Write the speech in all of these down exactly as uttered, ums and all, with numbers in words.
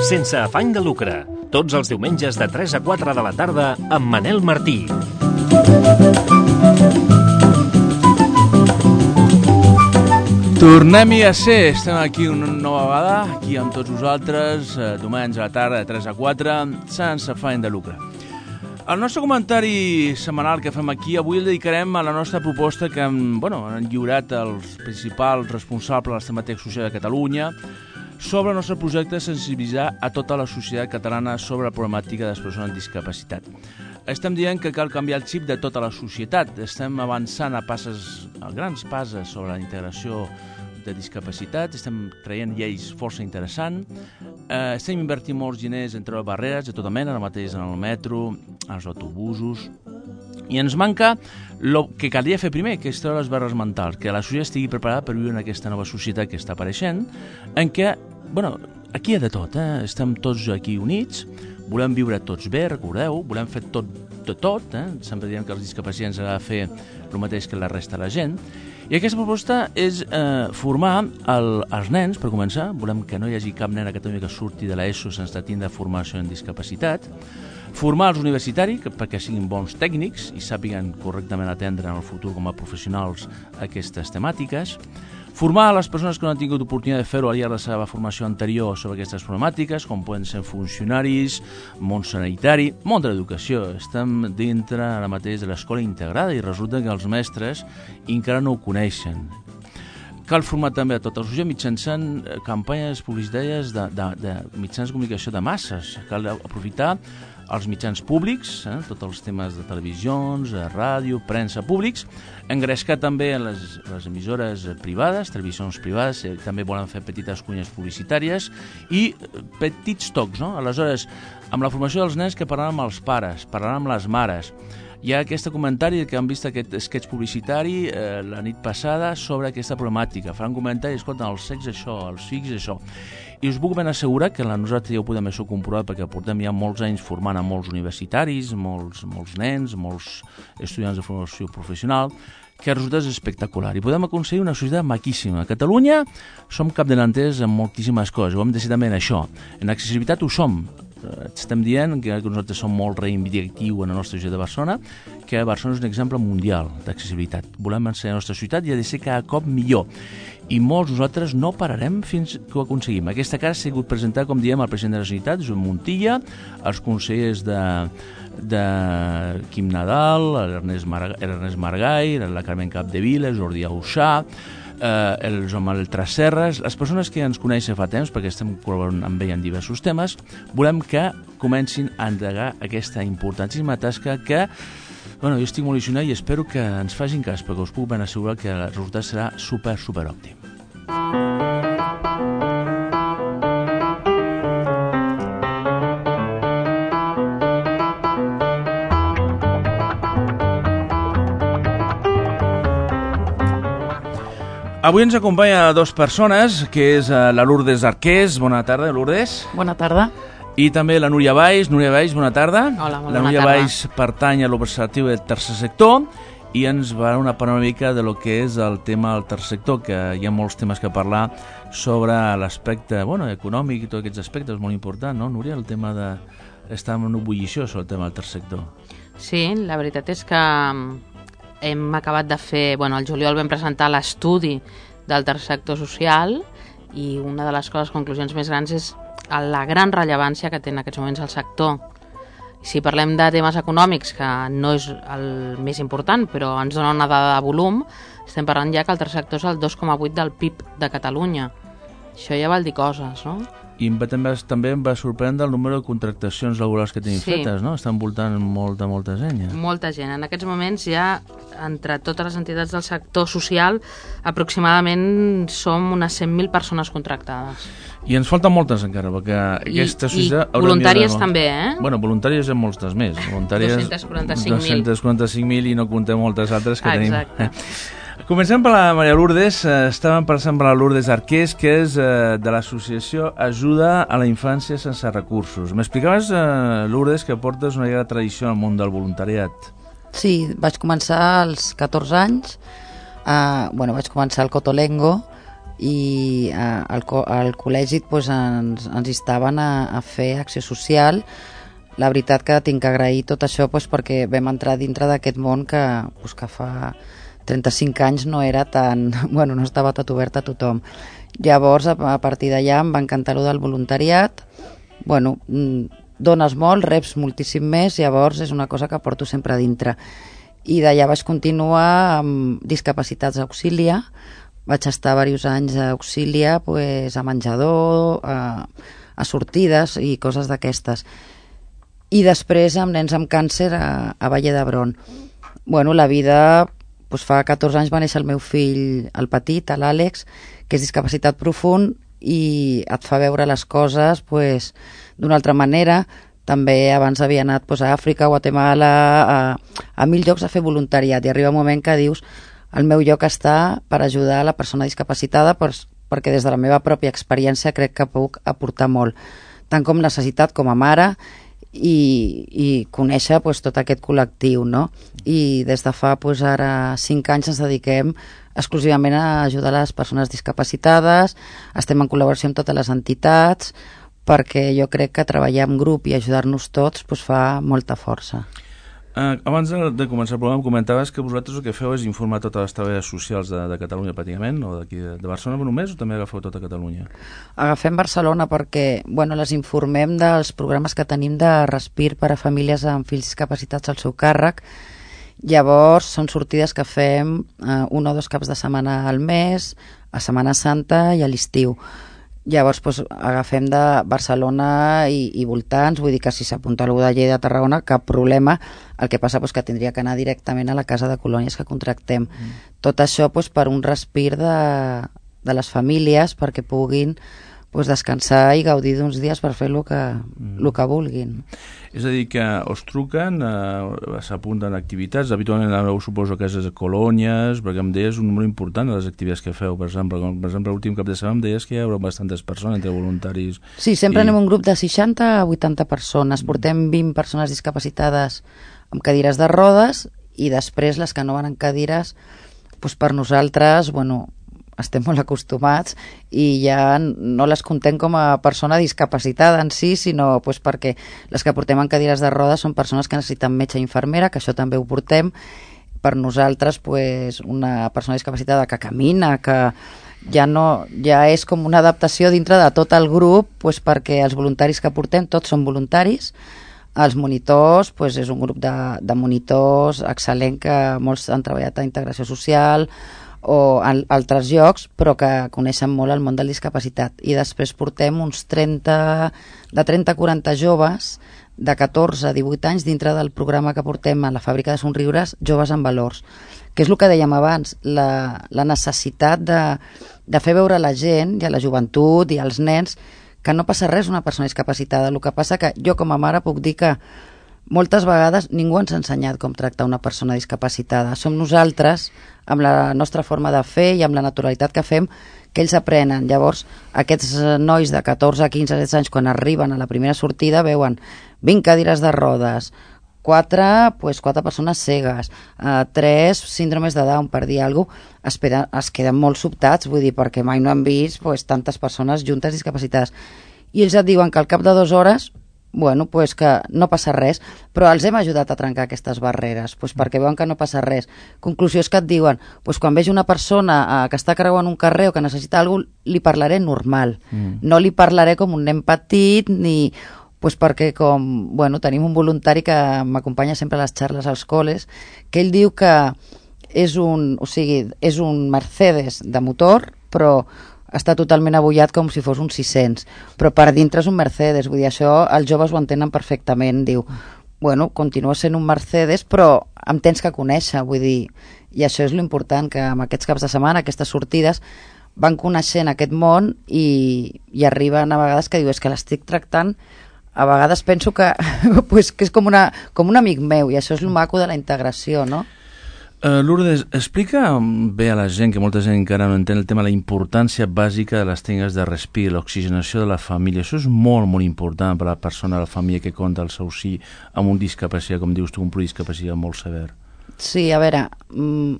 Sense afany de lucre, tots els diumenges de tres a quatre de la tarda amb Manel Martí. Tornem-hi a ser, estem aquí una nova vegada, aquí amb tots vosaltres, diumenge a la tarda de tres a quatre, sense afany de lucre. El nostre comentari setmanal que fem aquí avui el dedicarem a la nostra proposta que hem, bueno, han lliurat els principals responsables de les temàtiques socials de Catalunya sobre el nostre projecte de sensibilitzar a tota la societat catalana sobre la problemàtica de les persones amb discapacitat. Estem dient que cal canviar el xip de tota la societat. Estem avançant a passes, a grans passes sobre la integració de discapacitat, estem traient lleis força interessants, eh, estem invertint molts diners en treure barreres de tota mena, ara mateix en el metro, als autobusos, i ens manca el que calia fer primer, que és treure les barreres mentals, que la societat estigui preparada per viure en aquesta nova societat que està apareixent, en què, bueno, aquí hi ha de tot, eh? Estem tots aquí units, volem viure tots bé, recordeu, volem fer tot de tot, eh? Sempre diem que els discapacitats han de fer el mateix que la resta de la gent, i aquesta proposta és eh, formar el, els nens, per començar, volem que no hi hagi cap nen a Catalunya que surti de l'ESO sense tindre formació en discapacitat, formar els universitaris perquè siguin bons tècnics i sàpiguen correctament atendre en el futur com a professionals aquestes temàtiques, formar les persones que no han tingut oportunitat de fer-ho al llarg de la seva formació anterior sobre aquestes problemàtiques, com poden ser funcionaris, món sanitari, món de l'educació. Estem dintre ara mateix de l'escola integrada i resulta que els mestres encara no ho coneixen. Cal formar també a tota la societat mitjançant campanyes publicitàries de, de, de mitjans de comunicació de masses. Cal aprofitar els mitjans públics, eh, tots els temes de televisions, ràdio, premsa públics, engrescar també les, les emissores privades, televisions privades, eh, també volen fer petites cunyes publicitàries i petits tocs, no? Aleshores, amb la formació dels nens que parlaran amb els pares, parlaran amb les mares. Hi ha aquest comentari que han vist aquest sketch publicitari eh, la nit passada sobre aquesta problemàtica. Faran comentaris, escolta, els cecs això, els fics això. I us puc ben assegurar que nosaltres ja ho podem això comprovar perquè portem ja molts anys formant a molts universitaris, molts, molts nens, molts estudiants de formació professional, que el resultat és espectacular i podem aconseguir una societat maquíssima. A Catalunya som capdavanters en moltíssimes coses, ho hem de ser també en això. En accessibilitat ho som. Estem dient que nosaltres som molt reivindicatiu en la nostra ciutat de Barcelona, que Barcelona és un exemple mundial d'accessibilitat. Volem ser la nostra ciutat i ha de ser cada cop millor. I molts nosaltres no pararem fins que ho aconseguim. Aquesta cara ha sigut presentada, com diem, al president de la Generalitat, Joan Montilla, els consellers de, de Quim Nadal, l'Ernest Mar Maragall, la Carmen Capdevila, Jordi Auxà, eh, el Joan Manuel Tresserras, les persones que ens coneixen fa temps, perquè estem col·laborant amb ell en diversos temes, volem que comencin a endegar aquesta importantíssima tasca que, bueno, jo estic molt il·lusionat i espero que ens facin cas, perquè us puc ben assegurar que el resultat serà super, super òptim. Avui ens acompanya dues persones, que és la Lourdes Arqués. Bona tarda, Lourdes. Bona tarda. I també la Núria Valls. Núria Valls, bona tarda. Hola, molt la bona Núria tarda. Valls pertany a l'Observatori del Tercer Sector i ens va donar una mica de lo que és el tema del tercer sector, que hi ha molts temes que parlar sobre l'aspecte, bueno, econòmic i tots aquests aspectes, molt important, no, Núria? El tema de... Està en una ebullició sobre el tema del tercer sector. Sí, la veritat és que hem acabat de fer... Bueno, al juliol vam presentar l'estudi del tercer sector social i una de les coses, conclusions més grans és la gran rellevància que té en aquests moments el sector. Si parlem de temes econòmics, que no és el més important, però ens dona una dada de volum, estem parlant ja que el tercer sector és el dos coma vuit del P I B de Catalunya. Això ja vol dir coses, no? I també, també em va sorprendre el número de contractacions laborals que tenim sí. fetes, no? Estan voltant molta, molta gent. Ja. Molta gent. En aquests moments ja, entre totes les entitats del sector social, aproximadament som unes cent mil persones contractades. I ens falten moltes encara, perquè aquesta I, societat... I voluntàries de... també, eh? Bueno, voluntàries hi ha moltes més. Voluntàries... dos-cents quaranta-cinc mil. dos-cents quaranta-cinc mil i no comptem moltes altres que Exacte. tenim. Comencem per la Maria Lourdes. Estàvem pensant per la Lourdes Arqués, que és eh, de l'associació Ajuda a la Infància Sense Recursos. M'explicaves, eh, Lourdes, que portes una llarga tradició al món del voluntariat. Sí, vaig començar als catorze anys Uh, bueno, vaig començar al Cotolengo i uh, al, co al col·legi pues, ens, ens instaven a, a fer acció social. La veritat que tinc que agrair tot això pues, perquè vam entrar dintre d'aquest món que, pues, que fa trenta-cinc anys no era tan... Bueno, no estava tot obert a tothom. Llavors, a, a partir d'allà em va encantar allò del voluntariat. Bueno, dones molt, reps moltíssim més, llavors és una cosa que porto sempre a dintre. I d'allà vaig continuar amb discapacitats auxilia. Vaig estar diversos anys a auxilia, pues, a menjador, a, a sortides i coses d'aquestes. I després amb nens amb càncer a, a Valle d'Hebron. Bueno, la vida... Pues fa catorze anys va néixer el meu fill, el petit, l'Àlex, que és discapacitat profund i et fa veure les coses pues, d'una altra manera. També abans havia anat pues, a Àfrica, Guatemala, a, a mil llocs a fer voluntariat i arriba un moment que dius el meu lloc està per ajudar a la persona discapacitada pues, perquè des de la meva pròpia experiència crec que puc aportar molt, tant com necessitat com a mare i, i conèixer pues, tot aquest col·lectiu, no? I des de fa pues, ara cinc anys ens dediquem exclusivament a ajudar les persones discapacitades, estem en col·laboració amb totes les entitats perquè jo crec que treballar en grup i ajudar-nos tots pues, fa molta força. Uh, abans de, de començar el programa comentaves que vosaltres el que feu és informar totes les treballadores socials de, de Catalunya pràcticament, o d'aquí de, de Barcelona només, o també agafeu tota Catalunya? Agafem Barcelona perquè bueno, les informem dels programes que tenim de respir per a famílies amb fills discapacitats al seu càrrec. Llavors són sortides que fem uh, un o dos caps de setmana al mes, a Setmana Santa i a l'estiu. Llavors pues, agafem de Barcelona i, i voltants, vull dir que si s'apunta algú de Lleida, de Tarragona, cap problema. El que passa pues, que tindria que anar directament a la casa de colònies que contractem. Mm. Tot això pues, per un respir de, de les famílies perquè puguin pues, descansar i gaudir d'uns dies per fer el que, mm. el que vulguin. És a dir, que us truquen, eh, s'apunten activitats, habitualment aneu, suposo que és colònies, perquè em deies un número important de les activitats que feu, per exemple, com, per exemple l'últim cap de setmana em deies que hi haurà bastantes persones entre voluntaris. Sí, sempre i... anem un grup de seixanta a vuitanta persones, portem vint persones discapacitades amb cadires de rodes i després les que no van en cadires, doncs per nosaltres, bueno, estem molt acostumats i ja no les contem com a persona discapacitada en si, sinó pues, perquè les que portem en cadires de rodes són persones que necessiten metge i infermera, que això també ho portem. Per nosaltres, pues, una persona discapacitada que camina, que ja, no, ja és com una adaptació dintre de tot el grup, pues, perquè els voluntaris que portem tots són voluntaris. Els monitors, pues, és un grup de, de monitors excel·lent que molts han treballat a integració social o en altres llocs, però que coneixen molt el món de la discapacitat. I després portem uns trenta, de trenta a quaranta joves de catorze a divuit anys dintre del programa que portem a la Fàbrica de Somriures, Joves amb Valors, que és el que dèiem abans, la, la necessitat de, de fer veure a la gent i a la joventut i als nens que no passa res una persona discapacitada. El que passa que jo com a mare puc dir que moltes vegades ningú ens ha ensenyat com tractar una persona discapacitada. Som nosaltres, amb la nostra forma de fer i amb la naturalitat que fem, que ells aprenen. Llavors, aquests nois de catorze, quinze, setze anys, quan arriben a la primera sortida, veuen vint cadires de rodes, quatre, pues, quatre persones cegues, eh, tres síndromes de Down, per dir alguna cosa, es, peden, es queden molt sobtats, vull dir, perquè mai no han vist pues, tantes persones juntes discapacitades. I ells et diuen que al cap de dues hores bueno, pues que no passa res, però els hem ajudat a trencar aquestes barreres, pues perquè veuen que no passa res. Conclusió és que et diuen, pues quan veig una persona eh, que està creuant un carrer o que necessita alguna cosa, li parlaré normal, mm. no li parlaré com un nen petit, ni pues perquè com, bueno, tenim un voluntari que m'acompanya sempre a les xarles als col·les, que ell diu que és un, o sigui, és un Mercedes de motor, però està totalment abullat com si fos un sis-cents, però per dintre és un Mercedes, vull dir, això els joves ho entenen perfectament, diu, bueno, continua sent un Mercedes, però em tens que conèixer, vull dir, i això és l'important, que amb aquests caps de setmana, aquestes sortides, van coneixent aquest món i, i arriben a vegades que diu, és que l'estic tractant, a vegades penso que, pues, que és com, una, com un amic meu, i això és el maco de la integració, no? Uh, Lourdes, explica bé a la gent, que molta gent encara no entén el tema, la importància bàsica de les tècniques de respir, l'oxigenació de la família. Això és molt, molt important per a la persona, la família que compta el seu sí amb un discapacitat, com dius tu, un pluricapacitat molt sever. Sí, a veure, mmm,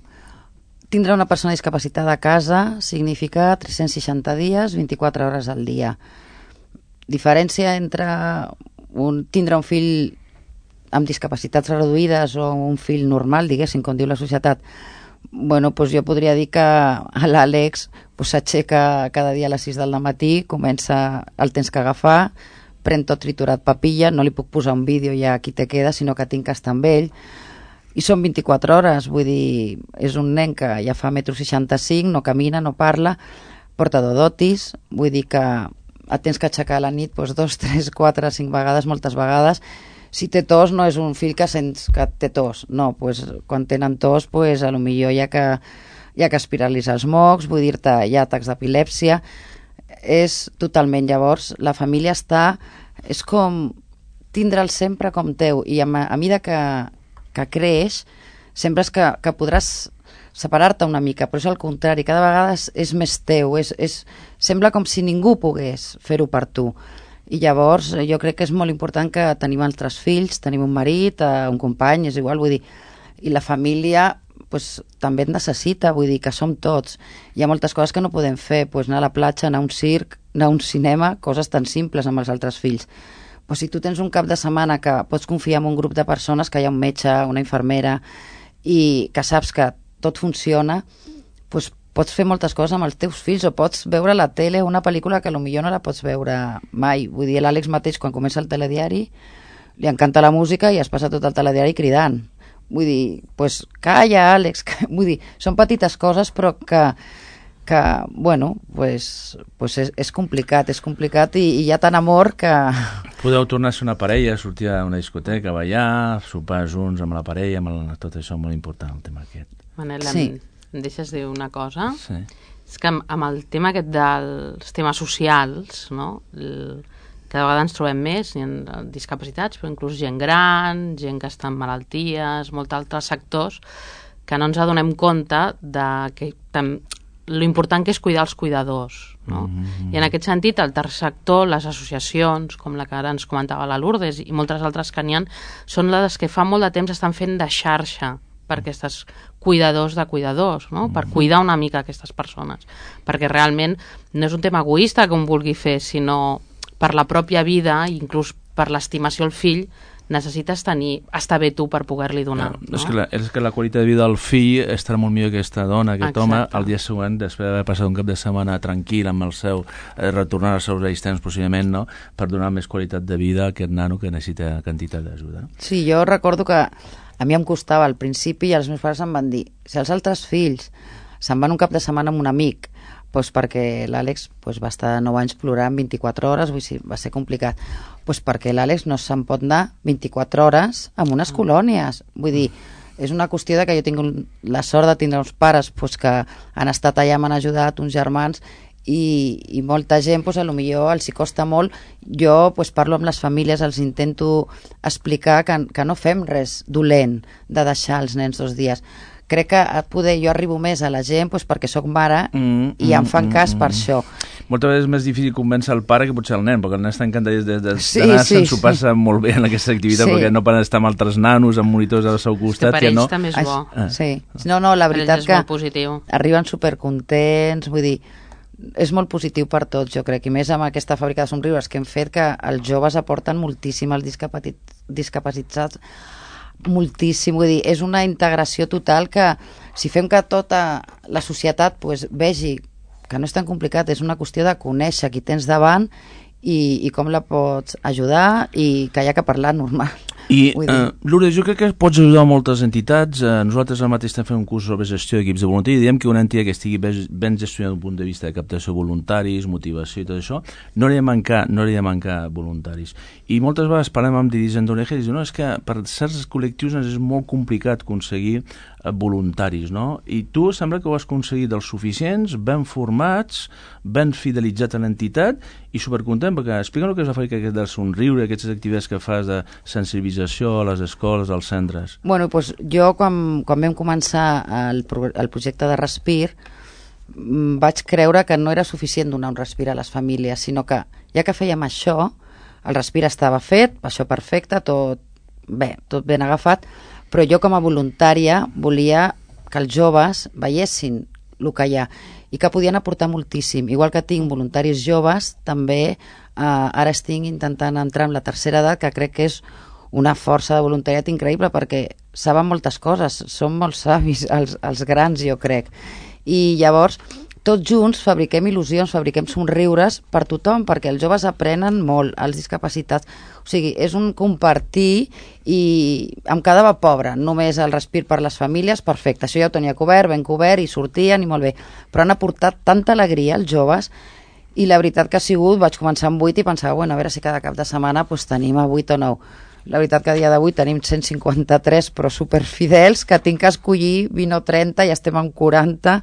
tindre una persona discapacitada a casa significa tres-cents seixanta dies, vint-i-quatre hores al dia. Diferència entre un, tindre un fill amb discapacitats reduïdes o un fill normal, diguéssim, com diu la societat. Bueno, doncs jo podria dir que l'Àlex s'aixeca cada dia a les sis del matí, comença el temps que agafar, pren tot triturat papilla, no li puc posar un vídeo ja aquí te queda, sinó que tinc que estar amb ell. I són vint-i-quatre hores, vull dir, és un nen que ja fa metro seixanta-cinc, no camina, no parla, porta dodotis, vull dir que et tens que aixecar a la nit doncs, dos, tres, quatre, cinc vegades, moltes vegades. Si té tos, no és un fill que sents que té tos, no, doncs, quan tenen tos, doncs, a lo millor hi ha que, hi ha que aspirar-los els mocs, vull dir-te, hi ha atacs d'epilèpsia, és totalment, llavors, la família està, és com tindre'l sempre com teu, i a, a mesura que, que creix, sempre és que, que podràs separar-te una mica, però és al contrari, cada vegada és, és més teu, és, és, sembla com si ningú pogués fer-ho per tu. I llavors jo crec que és molt important que tenim altres fills, tenim un marit, un company, és igual, vull dir, i la família pues, també et necessita, vull dir que som tots. Hi ha moltes coses que no podem fer, pues, anar a la platja, anar a un circ, anar a un cinema, coses tan simples amb els altres fills. Pues, si tu tens un cap de setmana que pots confiar en un grup de persones, que hi ha un metge, una infermera, i que saps que tot funciona, pues, pots fer moltes coses amb els teus fills, o pots veure la tele, una pel·lícula que potser no la pots veure mai. Vull dir, l'Àlex mateix, quan comença el telediari, li encanta la música i es passa tot el telediari cridant. Vull dir, pues, calla, Àlex, que... vull dir, són petites coses, però que, que bueno, pues, pues és, és complicat, és complicat i, i hi ha tant amor que... Podeu tornar a ser una parella, sortir a una discoteca, ballar, sopar junts amb la parella, amb el... tot això molt important, el tema aquest. Manel, sí. em, em deixes dir una cosa? Sí. És que amb, amb el tema aquest dels temes socials, no? El, cada vegada ens trobem més, hi ha discapacitats, però inclús gent gran, gent que està en malalties, molts altres sectors, que no ens adonem compte de que tam, lo important que és cuidar els cuidadors, no? Mm-hmm. I en aquest sentit, el tercer sector, les associacions, com la que ara ens comentava la Lourdes, i moltes altres que n'hi ha, són les que fa molt de temps estan fent de xarxa per aquests cuidadors de cuidadors, no? Per cuidar una mica aquestes persones, perquè realment no és un tema egoista que un vulgui fer, sinó per la pròpia vida, inclús per l'estimació al fill, necessites tenir, estar bé tu per poder-li donar. No, no? És, que la, és que la qualitat de vida del fill estarà molt millor que aquesta dona, aquest Exacte. home, el dia següent, després d'haver passat un cap de setmana tranquil amb el seu, eh, retornar als seus vells temps possiblement, no? Per donar més qualitat de vida a aquest nano que necessita quantitat d'ajuda. No? Sí, jo recordo que a mi em costava al principi i els meus pares em van dir, si els altres fills se'n van un cap de setmana amb un amic, doncs perquè l'Àlex doncs, va estar nou anys plorant vint-i-quatre hores, vull dir, va ser complicat. Doncs perquè l'Àlex no se'n pot anar vint-i-quatre hores amb unes colònies. Vull dir, és una qüestió de que jo tinc un, la sort de tindre uns pares doncs, que han estat allà, m'han ajudat, uns germans, i, i molta gent, doncs, a lo millor els hi costa molt. Jo doncs, parlo amb les famílies, els intento explicar que, que no fem res dolent de deixar els nens dos dies. Crec que poder jo arribo més a la gent doncs, perquè sóc mare mm, i em fan mm, cas mm, per això. Moltes vegades és més difícil convèncer el pare que potser el nen, perquè el nen està encantat de, de, sí, d'anar, sí, s'ho passa sí. molt bé en aquesta activitat, sí. perquè no poden estar amb altres nanos, amb monitors al seu costat. Per que ells no... també és bo. Ah. Sí. No, no, la veritat que positiu. Arriben supercontents, vull dir, és molt positiu per tots, jo crec, i més amb aquesta fàbrica de somriures que hem fet, que els joves aporten moltíssim als discapacitats, moltíssim, vull dir, és una integració total que si fem que tota la societat pues, vegi que no és tan complicat, és una qüestió de conèixer qui tens davant i, i com la pots ajudar i que hi ha que parlar normal. I, uh, Lourdes, jo crec que pots ajudar moltes entitats. Uh, nosaltres al mateix estem fent un curs sobre gestió d'equips de voluntari i diem que una entitat que estigui ben gestionada d'un punt de vista de captació de voluntaris, motivació i tot això, no hauria de mancar, no hauria de mancar voluntaris. I moltes vegades parlem amb dirigents d'O N G i diuen, no, és que per certs col·lectius és molt complicat aconseguir uh, voluntaris, no? I tu sembla que ho has aconseguit dels suficients, ben formats, ben fidelitzats a l'entitat i supercontent, perquè explica'm el que és la fàbrica del somriure, aquestes activitats que fas de sensibilització a les escoles, als centres. Bueno, doncs jo quan, quan vam començar el, el projecte de Respir vaig creure que no era suficient donar un respir a les famílies, sinó que ja que fèiem això, el respir estava fet, això perfecte, tot bé, tot ben agafat, però jo com a voluntària volia que els joves veiessin el que hi ha i que podien aportar moltíssim. Igual que tinc voluntaris joves, també eh, ara estic intentant entrar en la tercera edat, que crec que és una força de voluntariat increïble perquè saben moltes coses, són molt savis els, els grans, jo crec. I llavors, tots junts fabriquem il·lusions, fabriquem somriures per tothom, perquè els joves aprenen molt, els discapacitats. O sigui, és un compartir i em quedava pobre, només el respir per les famílies, perfecte, això ja ho tenia cobert, ben cobert, i sortien i molt bé. Però han aportat tanta alegria els joves i la veritat que ha sigut, vaig començar amb vuit i pensava, bueno, a veure si cada cap de setmana pues, tenim a vuit o nou. La veritat que a dia d'avui tenim cent cinquanta-tres, però superfidels, que tinc que escollir vint o trenta i estem en quaranta,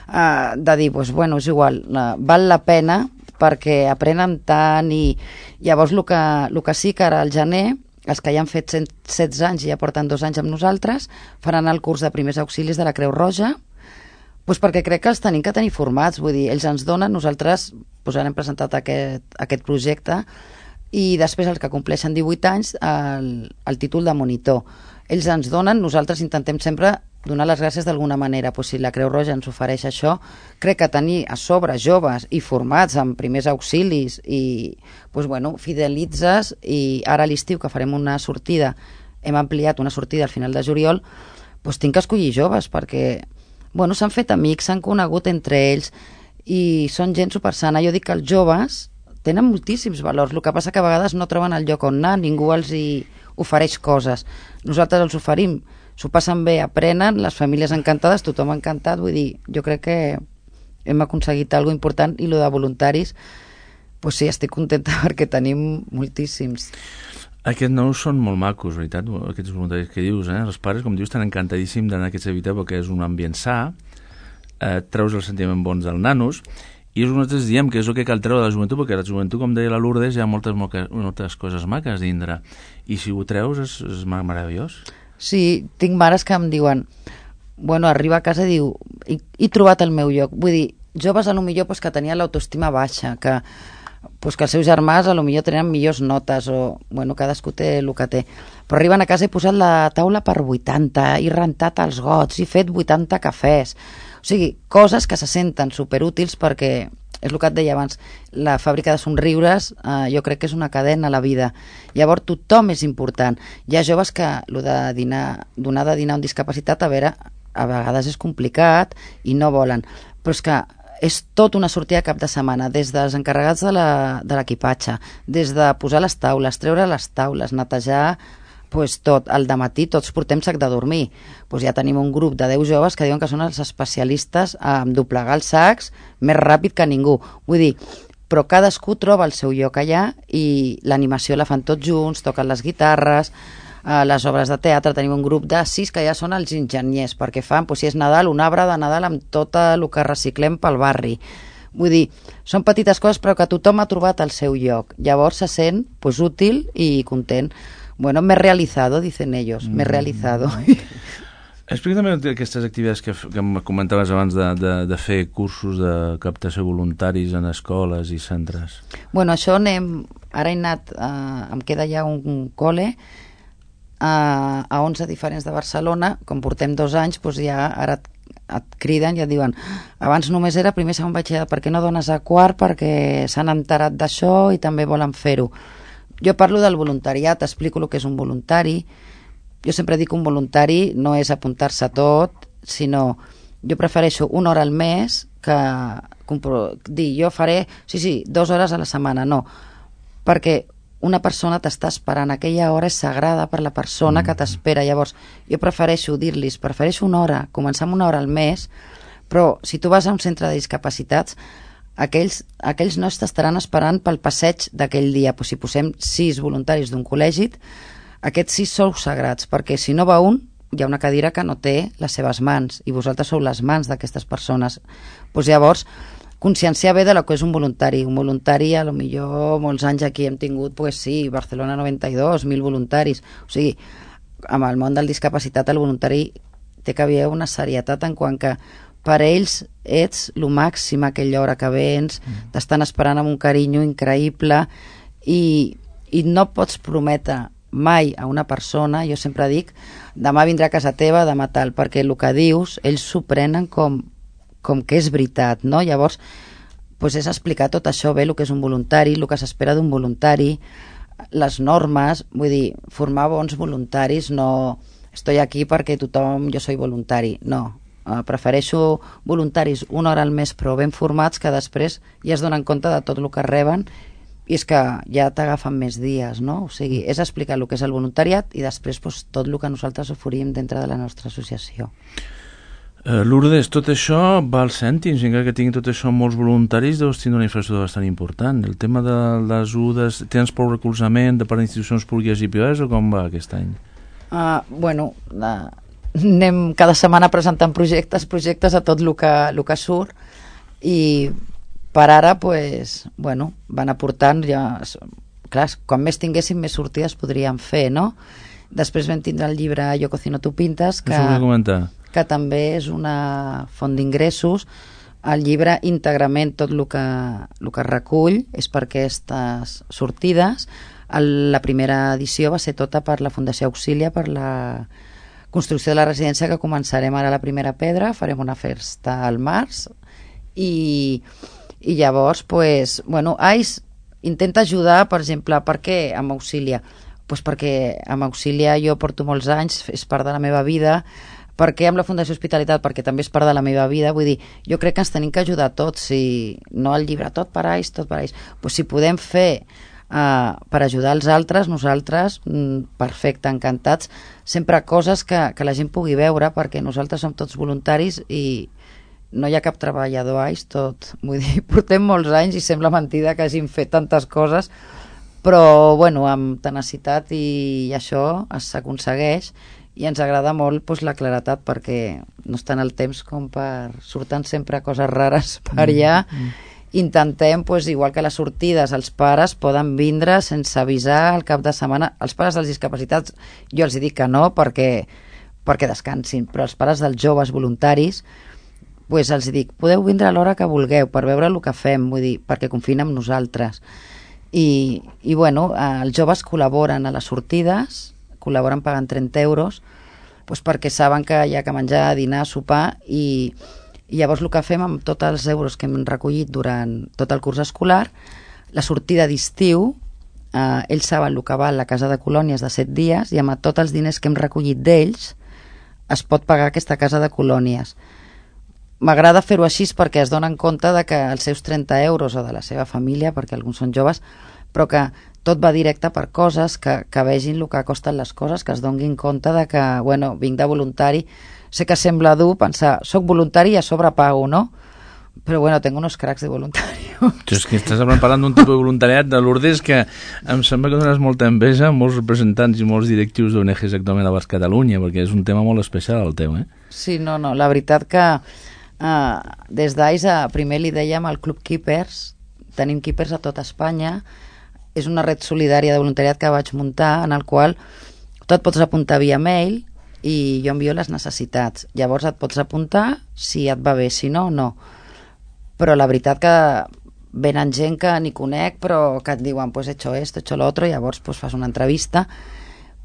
eh, de dir, pues, bueno, és igual, eh, val la pena perquè aprenen tant i llavors el que, el que sí que ara al gener, els que ja han fet cent setze anys i ja porten dos anys amb nosaltres, faran el curs de primers auxilis de la Creu Roja, pues perquè crec que els tenim que tenir formats, vull dir, ells ens donen, nosaltres pues, hem presentat aquest, aquest projecte, i després els que compleixen divuit anys el, el títol de monitor. Ells ens donen, nosaltres intentem sempre donar les gràcies d'alguna manera, pues si la Creu Roja ens ofereix això, crec que tenir a sobre joves i formats en primers auxilis i pues bueno, fidelitzes, i ara a l'estiu que farem una sortida, hem ampliat una sortida al final de juliol, pues tinc que escollir joves perquè bueno, s'han fet amics, s'han conegut entre ells i són gent supersana. Jo dic que els joves tenen moltíssims valors, el que passa que a vegades no troben el lloc on anar, ningú els hi ofereix coses. Nosaltres els oferim, s'ho passen bé, aprenen, les famílies encantades, tothom encantat, vull dir, jo crec que hem aconseguit alguna important i el de voluntaris, pues sí, estic contenta perquè tenim moltíssims. Aquests nous són molt macos, veritat, aquests voluntaris que dius, eh? Els pares, com dius, estan encantadíssims d'anar a aquests habitats perquè és un ambient sa, eh, treus els sentiments bons dels nanos, i nosaltres diem que és el que cal treure de la joventut, perquè la joventut, com deia la Lourdes, hi ha moltes, moltes coses maques dintre, i si ho treus és, és meravellós. Sí, tinc mares que em diuen, bueno, arriba a casa i diu, he, he trobat el meu lloc. Vull dir, joves a lo millor pues, que tenien l'autoestima baixa, que, pues, que els seus germans a lo millor tenien millors notes, o, bueno, cadascú té el que té. Però arriben a casa i he posat la taula per vuitanta, he rentat els gots, he fet vuitanta cafès. O sigui, coses que se senten superútils perquè, és el que et deia abans, la fàbrica de somriures eh, jo crec que és una cadena a la vida. Llavors tothom és important. Hi ha joves que lo de dinar, donar de dinar a un discapacitat, a veure, a vegades és complicat i no volen, però és que és tot una sortida cap de setmana, des dels encarregats de l'equipatge, des de posar les taules, treure les taules, netejar pues tot, al dematí tots portem sac de dormir, pues ja tenim un grup de deu joves que diuen que són els especialistes en doblegar els sacs més ràpid que ningú, vull dir, però cadascú troba el seu lloc allà i l'animació la fan tots junts, toquen les guitarres, eh, les obres de teatre, tenim un grup de sis que ja són els enginyers, perquè fan, pues, si és Nadal, un arbre de Nadal amb tot el que reciclem pel barri. Vull dir, són petites coses però que tothom ha trobat el seu lloc, llavors se sent pues, útil i content. Bueno, me he realizado, dicen ellos, me he realizado. Explica també aquestes activitats que, que em comentaves abans de, de, de fer cursos de captació voluntaris en escoles i centres. Bueno, això anem, ara he anat, eh, em queda ja un, un col·le eh, a onze diferents de Barcelona, com portem dos anys, doncs ja ara et, et criden i et diuen, abans només era primer segon batxillerat, per què no dones a quart? Perquè s'han enterat d'això i també volen fer-ho. Jo parlo del voluntariat, explico el que és un voluntari. Jo sempre dic que un voluntari no és apuntar-se a tot, sinó jo prefereixo una hora al mes que dir jo faré, sí, sí, dues hores a la setmana, no, perquè una persona t'està esperant, aquella hora és sagrada per la persona que t'espera. Llavors jo prefereixo dir-los, prefereixo una hora, començar amb una hora al mes, però si tu vas a un centre de discapacitats, aquells, aquells no t'estaran esperant pel passeig d'aquell dia. Pues si posem sis voluntaris d'un col·legi, aquests sis sou sagrats, perquè si no va un, hi ha una cadira que no té les seves mans, i vosaltres sou les mans d'aquestes persones. Pues llavors, conscienciar bé de lo que és un voluntari. Un voluntari, a lo millor molts anys aquí hem tingut, pues sí, Barcelona noranta i dos, mil voluntaris. O sigui, amb el món del discapacitat, el voluntari té que haver una serietat en quant que per ells ets el màxim aquella hora que vens, t'estan esperant amb un carinyo increïble i, i no pots prometre mai a una persona, jo sempre dic, demà vindrà a casa teva, demà tal, perquè el que dius, ells s'ho prenen com, com que és veritat, no? Llavors, pues és explicar tot això bé, el que és un voluntari, el que s'espera d'un voluntari, les normes, vull dir, formar bons voluntaris, no estoy aquí perquè tothom, jo soy voluntari, no. Uh, prefereixo voluntaris una hora al mes però ben formats que després ja es donen compte de tot el que reben i és que ja t'agafen més dies, no? O sigui, és explicar el que és el voluntariat i després pues, tot el que nosaltres oferim dintre de la nostra associació. Uh, Lourdes, tot això va als cèntims, encara que tinguin tot això molts voluntaris, deus tindre una infraestructura bastant important. El tema de les ajudes, tens prou recolzament de part d'institucions públiques i privades o com va aquest any? Uh, bueno, uh, anem cada setmana presentant projectes, projectes a tot el que, el que surt i per ara, pues, bueno, van aportant ja, clar, quan més tinguéssim més sortides podríem fer, no? Després vam tindre el llibre Yo cocino tu pintas, que, que també és una font d'ingressos. El llibre íntegrament tot el que, el que recull és per aquestes sortides. El, la primera edició va ser tota per la Fundació Auxilia, per la construcció de la residència, que començarem ara la primera pedra, farem una festa al març i, i llavors pues, bueno, A I S intenta ajudar, per exemple, per què amb Auxilia? Pues perquè amb Auxilia jo porto molts anys, és part de la meva vida. Per què amb la Fundació Hospitalitat? Perquè també és part de la meva vida. Vull dir, jo crec que ens tenim que ajudar tots, si no el llibre tot per A I S, tot per A I S, pues si podem fer Uh, per ajudar els altres, nosaltres mm, perfecte, encantats, sempre coses que, que la gent pugui veure, perquè nosaltres som tots voluntaris i no hi ha cap treballador A I S, tot, vull dir, portem molts anys i sembla mentida que hagin fet tantes coses, però bueno, amb tenacitat i això s'aconsegueix i ens agrada molt pues, la claretat, perquè no està en el temps com per surten sempre coses rares per allà. mm, mm. Intentem, pues, igual que les sortides, els pares poden vindre sense avisar el cap de setmana. Els pares dels discapacitats jo els dic que no perquè, perquè descansin, però els pares dels joves voluntaris pues, els dic, podeu vindre a l'hora que vulgueu per veure el que fem, vull dir, perquè confien en nosaltres i, i bueno, els joves col·laboren a les sortides, col·laboren pagant trenta euros pues, perquè saben que hi ha que menjar, dinar, sopar i i llavors el que fem amb tots els euros que hem recollit durant tot el curs escolar, la sortida d'estiu, eh, ells saben el que val la casa de colònies de set dies i amb tots els diners que hem recollit d'ells es pot pagar aquesta casa de colònies. M'agrada fer-ho així perquè es donen compte de que els seus trenta euros o de la seva família, perquè alguns són joves, però que tot va directe per coses, que, que vegin el que costen les coses, que es donin compte de que, bueno, vinc de voluntari. Sé que sembla dur pensar, soc voluntari i a sobre pago, no? Però bueno, tengo unos cracks de voluntarios. Tu és que estàs parlant d'un tipus de voluntariat de Lourdes que em sembla que dones molta enveja a molts representants i molts directius d'O N Ges actualment a Basc Catalunya, perquè és un tema molt especial el teu, eh? Sí, no, no, la veritat que uh, des d'A I S primer li dèiem al Club Keepers, tenim Keepers a tota Espanya, és una red solidària de voluntariat que vaig muntar en el qual tu et pots apuntar via mail i jo envio les necessitats. Llavors et pots apuntar si et va bé, si no, no. Però la veritat que venen gent que ni conec, però que et diuen, pues he hecho esto, he hecho lo otro, i llavors pues, fas una entrevista.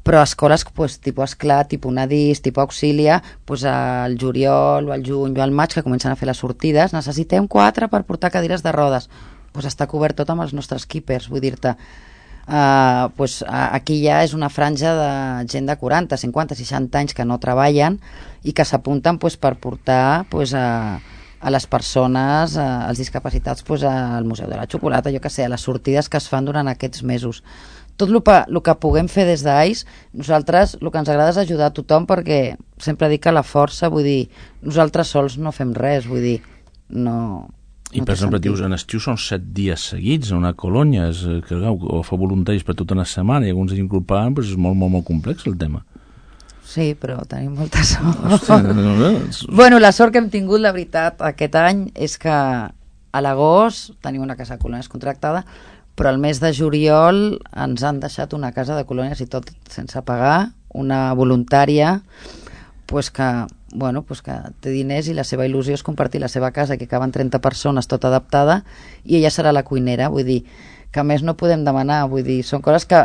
Però escoles, pues, tipus Esclat, tipus Nadís, tipus Auxilia, pues, al juliol o al juny o al maig, que comencen a fer les sortides, necessitem quatre per portar cadires de rodes. Pues està cobert tot amb els nostres keepers, vull dir-te. Uh, pues, uh, aquí ja és una franja de gent de quaranta, cinquanta, seixanta anys que no treballen i que s'apunten pues, per portar pues, a, a les persones, a, als discapacitats pues, al Museu de la Xocolata, jo que sé, a les sortides que es fan durant aquests mesos. Tot el que, el que puguem fer des d'A I S, nosaltres el que ens agrada és ajudar a tothom, perquè sempre dic que la força, vull dir, nosaltres sols no fem res, vull dir, no... I per exemple, dius, en estiu són set dies seguits a una colònia, és, que, o fa voluntaris per tota una setmana i alguns s'incorporen, però és molt, molt, molt complex el tema. Sí, però tenim molta sort. Hòstia, no, no, no. Bueno, la sort que hem tingut, la veritat, aquest any és que a l'agost tenim una casa de colònies contractada, però al mes de juliol ens han deixat una casa de colònies i tot sense pagar, una voluntària, pues que... bueno, pues que té diners i la seva il·lusió és compartir la seva casa, que caben trenta persones tota adaptada i ella serà la cuinera, vull dir que més no podem demanar, vull dir, són coses que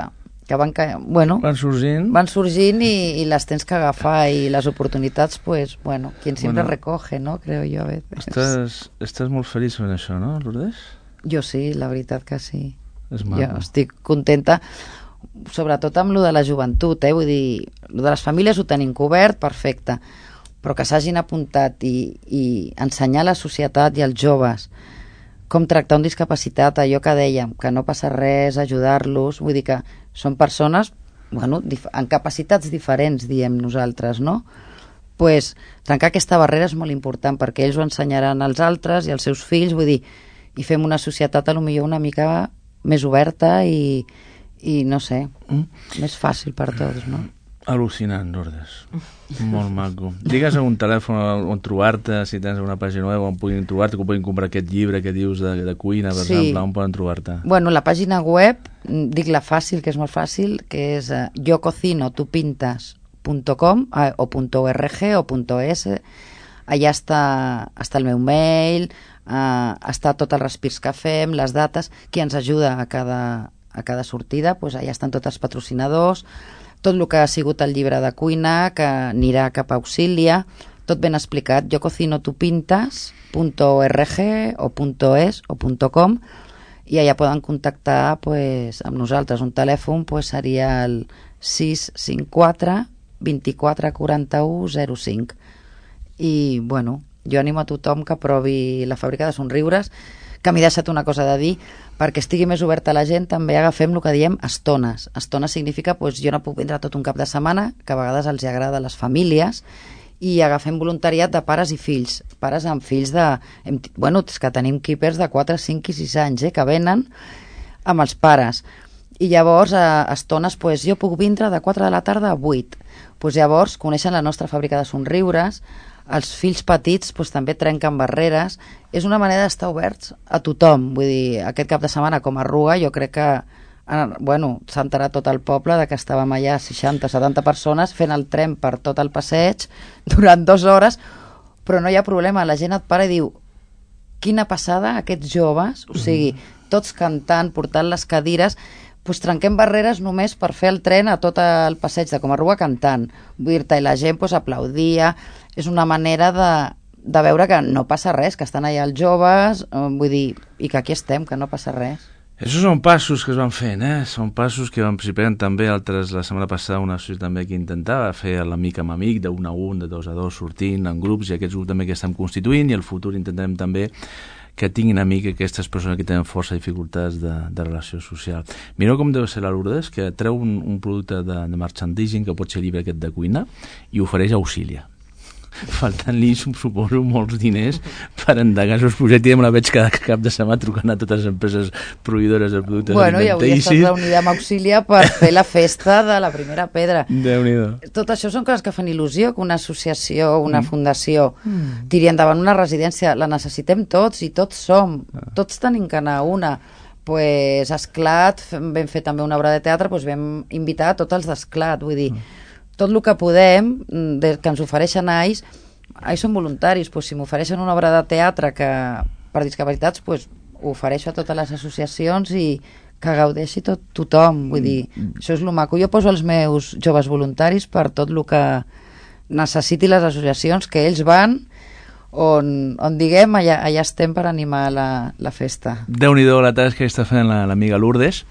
que van, ca... bueno, van sorgint, van sorgint i, i les tens que agafar i les oportunitats, pues, bueno, quien siempre bueno, recoge, ¿no? Creo yo a veces. Estàs, estàs molt feliç fent això, no, Lourdes? Jo sí, la veritat que sí. És maco. Jo estic contenta, sobretot amb lo de la joventut, eh? Vull dir, lo de les famílies ho tenim cobert, perfecte, però que s'hagin apuntat i, i ensenyar a la societat i als joves com tractar un discapacitat, allò que dèiem, que no passa res, ajudar-los, vull dir que són persones, bueno, amb capacitats diferents, diem nosaltres, no? Pues, trencar aquesta barrera és molt important, perquè ells ho ensenyaran als altres i als seus fills, vull dir, i fem una societat a lo millor una mica més oberta i, i no sé, mm. més fàcil per tots, no? Al·lucinant, Lourdes. Molt maco. Digues un telèfon on trobar-te, si tens una pàgina web on puguin trobar-te, que puguin comprar aquest llibre que dius de, de cuina, per sí. exemple, on poden trobar-te? Bueno, la pàgina web, dic la fàcil, que és molt fàcil, que és uh, yo cocino tu pintas punto com uh, o .org o .es. Allà està, està el meu mail, uh, està tot els respirs que fem, les dates, qui ens ajuda a cada, a cada sortida, pues allà estan tots els patrocinadors, tot el que ha sigut el llibre de cuina, que anirà cap a Auxilia, tot ben explicat, yo cocino tu pintas punto org o .es o .com, i allà poden contactar pues, amb nosaltres. Un telèfon pues, seria el sis cinc quatre vint-i-quatre quaranta-u zero cinc. I, bueno, jo animo a tothom que provi la fàbrica de somriures, que m'he deixat una cosa de dir, perquè estigui més oberta la gent, també agafem el que diem estones. Estones significa, doncs, jo no puc vindre tot un cap de setmana, que a vegades els agrada a les famílies, i agafem voluntariat de pares i fills. Pares amb fills de... Hem, bueno, és que tenim keepers de quatre, cinc i sis anys, eh, que venen amb els pares. I llavors, a estones, doncs, jo puc vindre de quatre de la tarda a vuit. Doncs llavors, coneixen la nostra fàbrica de somriures, els fills petits doncs, també trenquen barreres. És una manera d'estar oberts a tothom. Vull dir, aquest cap de setmana com a Ruga jo crec que bueno, s'ha enterat tot el poble de que estàvem allà seixanta setanta persones fent el tren per tot el passeig durant dues hores, però no hi ha problema, la gent et para i diu quina passada aquests joves, o sigui, tots cantant, portant les cadires, doncs trenquem barreres només per fer el tren a tot el passeig de Comarruga cantant, vull dir-te, i la gent doncs, aplaudia. És una manera de, de veure que no passa res, que estan allà els joves, vull dir, i que aquí estem, que no passa res. Això són passos que es van fent, eh? Són passos que van participant també altres, la setmana passada una associació també que intentava fer l'amic amb amic, d'un a un, de dos a dos, sortint en grups, i aquests grups també que estem constituint, i al futur intentarem també que tinguin amic aquestes persones que tenen força dificultats de, de relació social. Mireu com deu ser la Lourdes, que treu un, un producte de, de merchandising, que pot ser llibre aquest de cuina, i ofereix a Auxilia. Faltant-li, suposo, molts diners per endegar els seus projectes, i me la veig cada cap de setmana trucant a totes les empreses proveïdores de productes bueno, alimentaris. Bueno, i avui estàs reunida amb Auxilia per fer la festa de la primera pedra. Déu-n'hi-do. Tot això són coses que fan il·lusió, que una associació, una mm. fundació mm. tiri endavant una residència. La necessitem tots i tots som. Ah. Tots tenim que anar a una. Pues, Esclat, vam fer també una obra de teatre, pues vam invitar a tots els d'Esclat, vull dir... Mm. Tot el que podem, de, que ens ofereixen a ells, ells són voluntaris, pues, si m'ofereixen una obra de teatre que, per discapacitats, pues, ho ofereixo a totes les associacions i que gaudeixi tot, tothom, vull dir, mm. això és el maco. Jo poso els meus joves voluntaris per tot el que necessiti les associacions, que ells van on, on diguem, allà, allà estem per animar la, la festa. Déu-n'hi-do la tasca que està fent l'amiga la, Lourdes.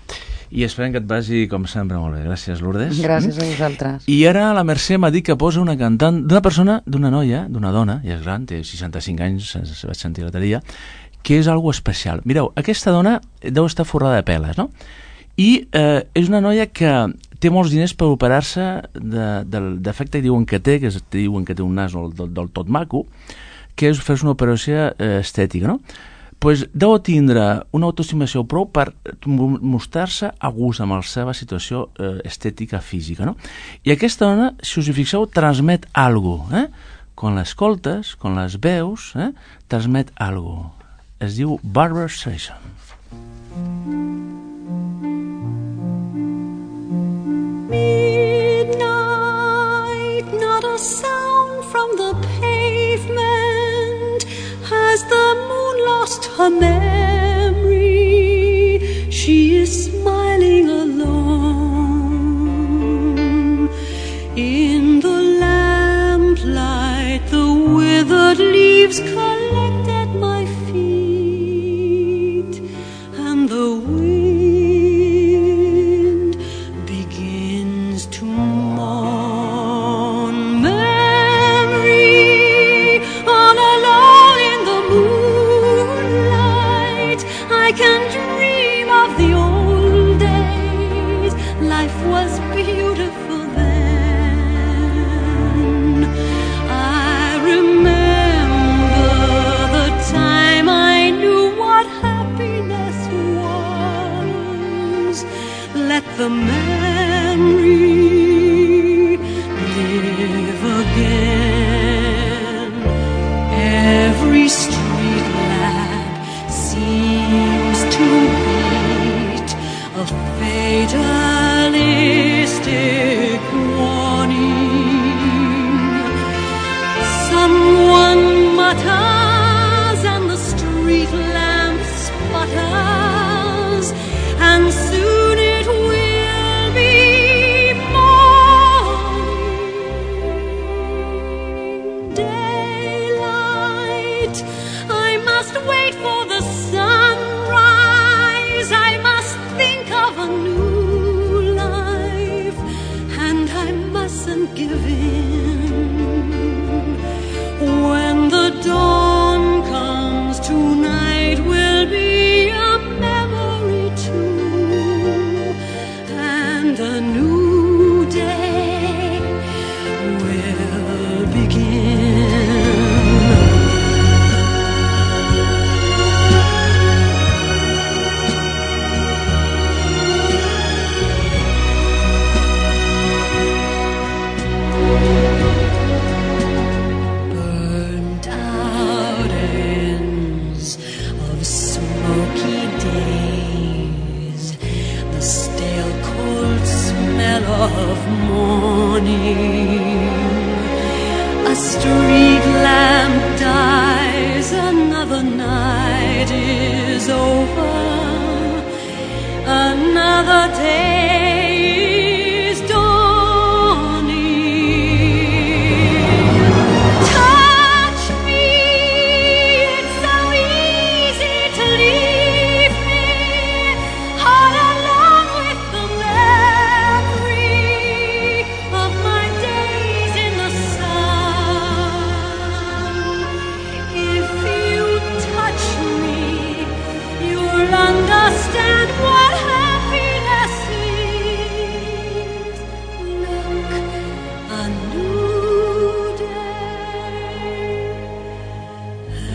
I esperem que et vagi, com sempre, molt bé. Gràcies, Lourdes. Gràcies a vosaltres. I ara la Mercè m'ha dit que posa una cantant d'una persona, d'una noia, d'una dona, ja és gran, té seixanta-cinc anys, se vaig sentir l'altre dia, que és algo especial. Mireu, aquesta dona deu estar forrada de peles, no? I eh, és una noia que té molts diners per operar-se de, de defecte que diuen que té, que diuen que té un nas del, del, del tot maco, que és fer una operació eh, estètica, no? Pues deu tindre una autoestimació prou per mostrar-se a gust amb la seva situació eh, estètica física, no? I aquesta dona, si us hi fixeu, transmet algo, eh? Quan l'escoltes, quan les veus, eh? Transmet algo. Es diu Barbra Streisand. Midnight, not a sound from the pavement, has the moon lost her memory? She is smiling alone leaves collect at my feet, and the wind begins to mourn. Memory, all alone in the moonlight, I can dream of the old days. Life was beautiful then. I remember the time I knew what happiness was. Let the memory live again. Every street lamp seems to beat a fatalistic warning. Someone mutters and the street lamp sputters, and soon it will be morning. Daylight, I must wait for the sunrise. I must think of a new life, and I mustn't give in. When the dawn comes, tonight will be a memory too, and a new day will begin. Burnt out ends of smoky days, the stale cold smell of morning. A street lamp dies, another night is over, another day is dawning. Touch me, it's so easy to leave me all alone with the memory of my days in the sun. If you touch me, you'll understand what happiness is. Look, a new day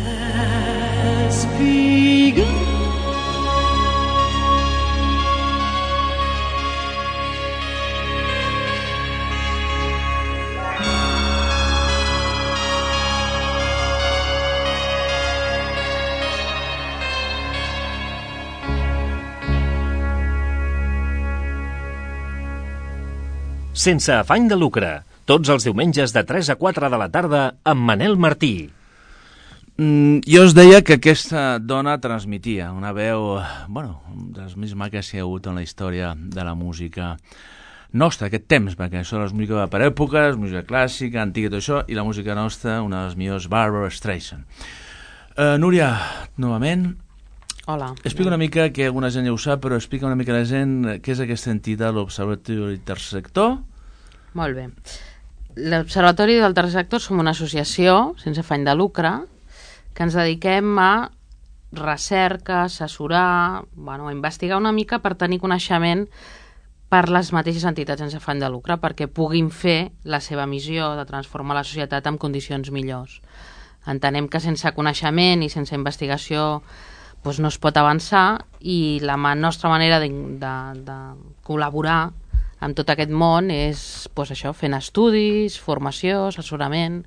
has begun. Sense afany de lucre, tots els diumenges de tres a quatre de la tarda amb Manel Martí. Mm, jo us deia que aquesta dona transmetia una veu, bueno, de les més maques que hi ha hagut en la història de la música nostra, aquest temps, perquè això és música per èpoques, música clàssica, antiga i tot això, i la música nostra, una de les millors, Barbra Streisand. Uh, Núria, novament, Hola. explica una mica, que alguna gent ja ho sap, però explica una mica a la gent què és aquesta entitat, l'Observatori Tercer Sector. Molt bé. L'Observatori del Tercer Sector som una associació sense afany de lucre que ens dediquem a recerca, assessorar, bueno, a investigar una mica per tenir coneixement per les mateixes entitats sense afany de lucre, perquè puguin fer la seva missió de transformar la societat en condicions millors. Entenem que sense coneixement i sense investigació doncs no es pot avançar, i la nostra manera de, de, de col·laborar amb tot aquest món és doncs això, fent estudis, formació, assessorament.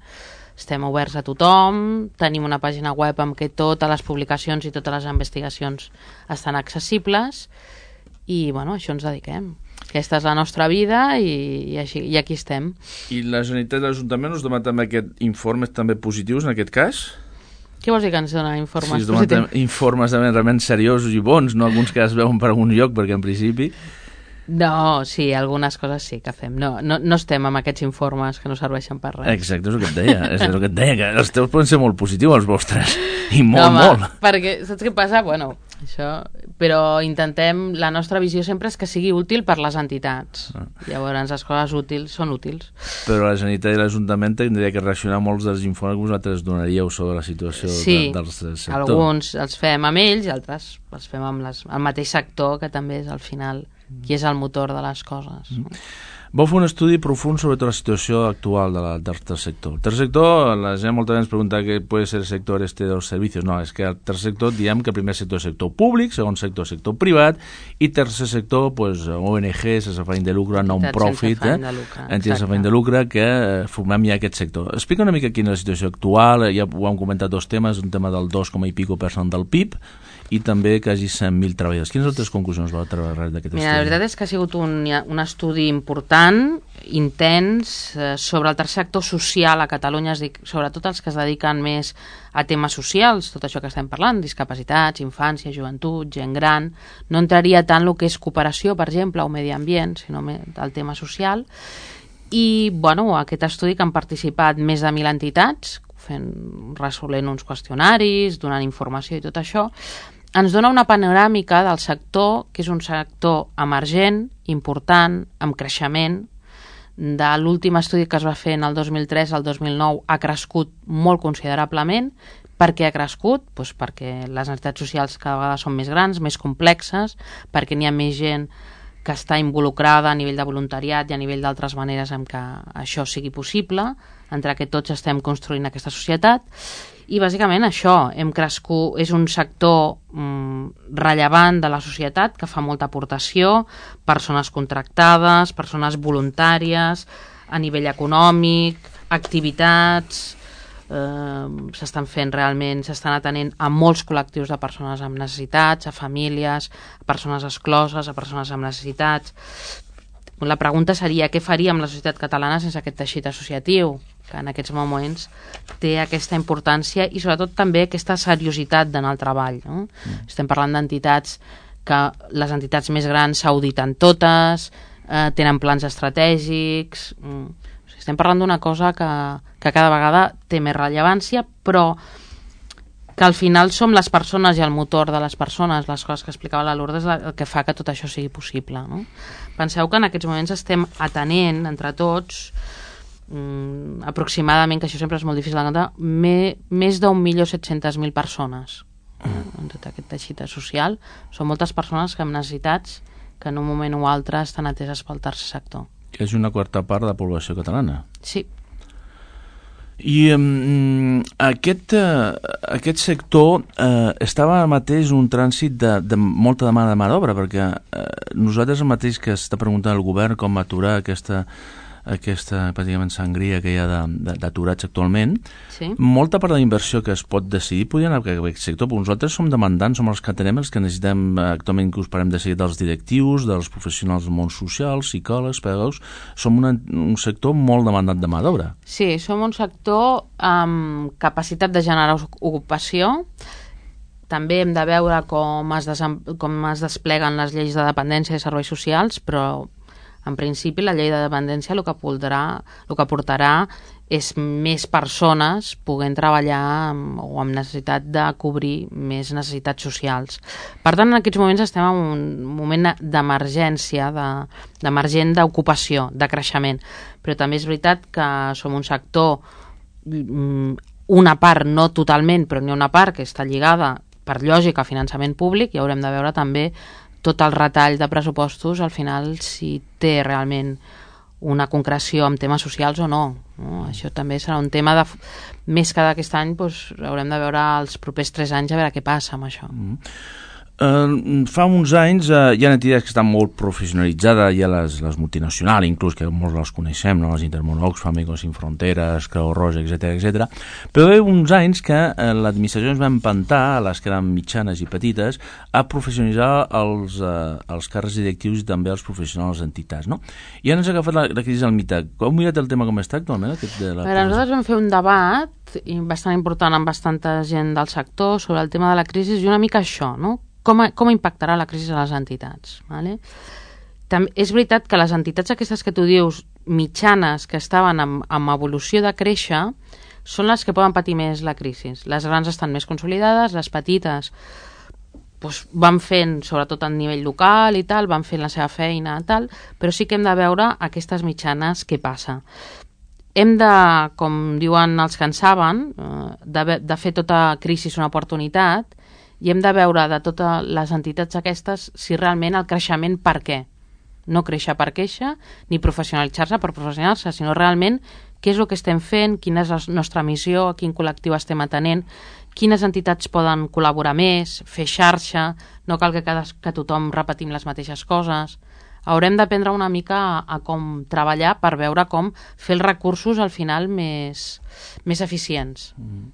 Estem oberts a tothom, tenim una pàgina web amb què totes les publicacions i totes les investigacions estan accessibles, i bueno, a això ens dediquem. Aquesta és la nostra vida i, i, així, i aquí estem. I la Generalitat de l'Ajuntament us demana també aquests informes també positius en aquest cas? Què vols dir que ens dona informes sí, positius? Informes realment seriosos i bons, no alguns que es veuen per algun lloc, perquè en principi... No, sí, algunes coses sí que fem. No, no, no estem amb aquests informes que no serveixen per res. Exacte, és el que et deia. És el que et deia, que els teus poden ser molt positius, els vostres. I molt, no, home, molt. Perquè, saps què passa? Bueno, això... Però intentem... La nostra visió sempre és que sigui útil per les entitats. Ah. Llavors, les coses útils són útils. Però la Generalitat i l'Ajuntament tindria que reaccionar molts dels informes que vosaltres donaríeu sobre la situació sí, de, del sector. Alguns els fem amb ells i altres els fem amb les, el mateix sector, que també és al final qui és el motor de les coses. Mm. Vau fer un estudi profund sobre tota la situació actual de la, del tercer sector. El tercer sector, la gent molta vegades pregunta què pot ser el sector este dels servicis. No, és que el tercer sector diem que el primer sector és sector públic, segon sector sector privat i tercer sector, pues, O N G, sense afany de lucre, non-profit, eh? entitats sense afany de lucre, que eh, formem ja aquest sector. Explica una mica quina és la situació actual, ja ho hem comentat dos temes, un tema del dos coma i pico per cent del P I B, i també quasi cent mil treballadors. Quines altres conclusions vau treure d'aquest estudi? Mira, la veritat és que ha sigut un, un estudi important, intens, eh, sobre el tercer sector social a Catalunya, sobretot els que es dediquen més a temes socials, tot això que estem parlant, discapacitats, infància, joventut, gent gran. No entraria tant el que és cooperació, per exemple, o medi ambient, sinó el tema social. I, bueno, aquest estudi que han participat més de mil entitats, fent, resolent uns qüestionaris, donant informació i tot això, ens dona una panoràmica del sector, que és un sector emergent, important, amb creixement. De l'últim estudi que es va fer en el dos mil tres al dos mil nou ha crescut molt considerablement. Per què ha crescut? Pues perquè les entitats socials cada vegada són més grans, més complexes, perquè n'hi ha més gent que està involucrada a nivell de voluntariat i a nivell d'altres maneres en què això sigui possible, entre que tots estem construint aquesta societat. I bàsicament això, hem crescut, és un sector mm, rellevant de la societat que fa molta aportació, persones contractades, persones voluntàries, a nivell econòmic, activitats, eh, s'estan fent realment, s'estan atenent a molts col·lectius de persones amb necessitats, a famílies, a persones excloses, a persones amb necessitats. La pregunta seria què faríem la societat catalana sense aquest teixit associatiu, que en aquests moments té aquesta importància i sobretot també aquesta seriositat d'anar al treball. No? Mm. Estem parlant d'entitats que les entitats més grans s'auditen totes, eh, tenen plans estratègics... Mm. O sigui, estem parlant d'una cosa que, que cada vegada té més rellevància, però que al final som les persones i el motor de les persones, les coses que explicava la Lourdes, el que fa que tot això sigui possible. No? Penseu que en aquests moments estem atenent entre tots mm, aproximadament, que això sempre és molt difícil de comptar, me, més d'un milió set-centes mil persones en tot aquest teixit social. Són moltes persones que amb necessitats que en un moment o altre estan ateses pel tercer sector. Que és una quarta part de la població catalana. Sí. I um, aquest, uh, aquest sector uh, estava mateix un trànsit de, de molta demanda de mà d'obra, perquè uh, nosaltres el mateix que està preguntant el govern com aturar aquesta, aquesta pràcticament sangria que hi ha d'aturats actualment, sí. Molta part de la inversió que es pot decidir podria anar a aquest sector, però nosaltres som demandants, som els que tenem, els que necessitem actualment que us parem de seguir dels directius, dels professionals del món social, psicòlegs, pedagogs, som una, un sector molt demandat de mà d'obra. Sí, som un sector amb capacitat de generar ocupació. També hem de veure com es, desem... com es despleguen les lleis de dependència i serveis socials, però en principi la llei de dependència el que portarà, el que portarà és més persones podent treballar amb, o amb necessitat de cobrir més necessitats socials. Per tant, en aquests moments estem en un moment d'emergència, d'emergent d'ocupació, de creixement. Però també és veritat que som un sector, una part, no totalment, però n'hi ha una part que està lligada per lògica a finançament públic, i haurem de veure també tot el retall de pressupostos, al final, si té realment una concreció amb temes socials o no. no? Això també serà un tema de... Més que d'aquest any, doncs, haurem de veure els propers tres anys a veure què passa amb això. Mm. Uh, fa uns anys uh, hi ha entitats que estan molt professionalitzades, hi ha les, les multinacionals, inclús que molts les coneixem, no? Les Intermón, Famigos Sin Fronteres, Creu Roja, etcètera, etcètera. Però hi ha uns anys que uh, l'administració ens va empantar, a les que eren mitjanes i petites, a professionalitzar els, uh, els càrrecs directius i també els professionals d'entitats, no? I ara ens ha agafat la, la crisi al mitjà. Com mirat el tema com està actualment? Aquest de la... Veure, nosaltres vam fer un debat bastant important amb bastanta gent del sector sobre el tema de la crisi i una mica això, no? Com, com impactarà la crisi a les entitats. Vale? També és veritat que les entitats aquestes que tu dius, mitjanes, que estaven en, en evolució de créixer, són les que poden patir més la crisi. Les grans estan més consolidades, les petites doncs, van fent, sobretot a nivell local i tal, van fent la seva feina i tal, però sí que hem de veure aquestes mitjanes què passa. Hem de, com diuen els que en saben, de, de fer tota crisi una oportunitat, i hem de veure de totes les entitats aquestes si realment el creixement per què. No créixer per queixa, ni professionalitzar-se per professionalitzar-se, sinó realment què és el que estem fent, quina és la nostra missió, a quin col·lectiu estem atenent, quines entitats poden col·laborar més, fer xarxa, no cal que, cada, que tothom repetim les mateixes coses. Haurem d'aprendre una mica a, a com treballar per veure com fer els recursos al final més, més eficients. Mm.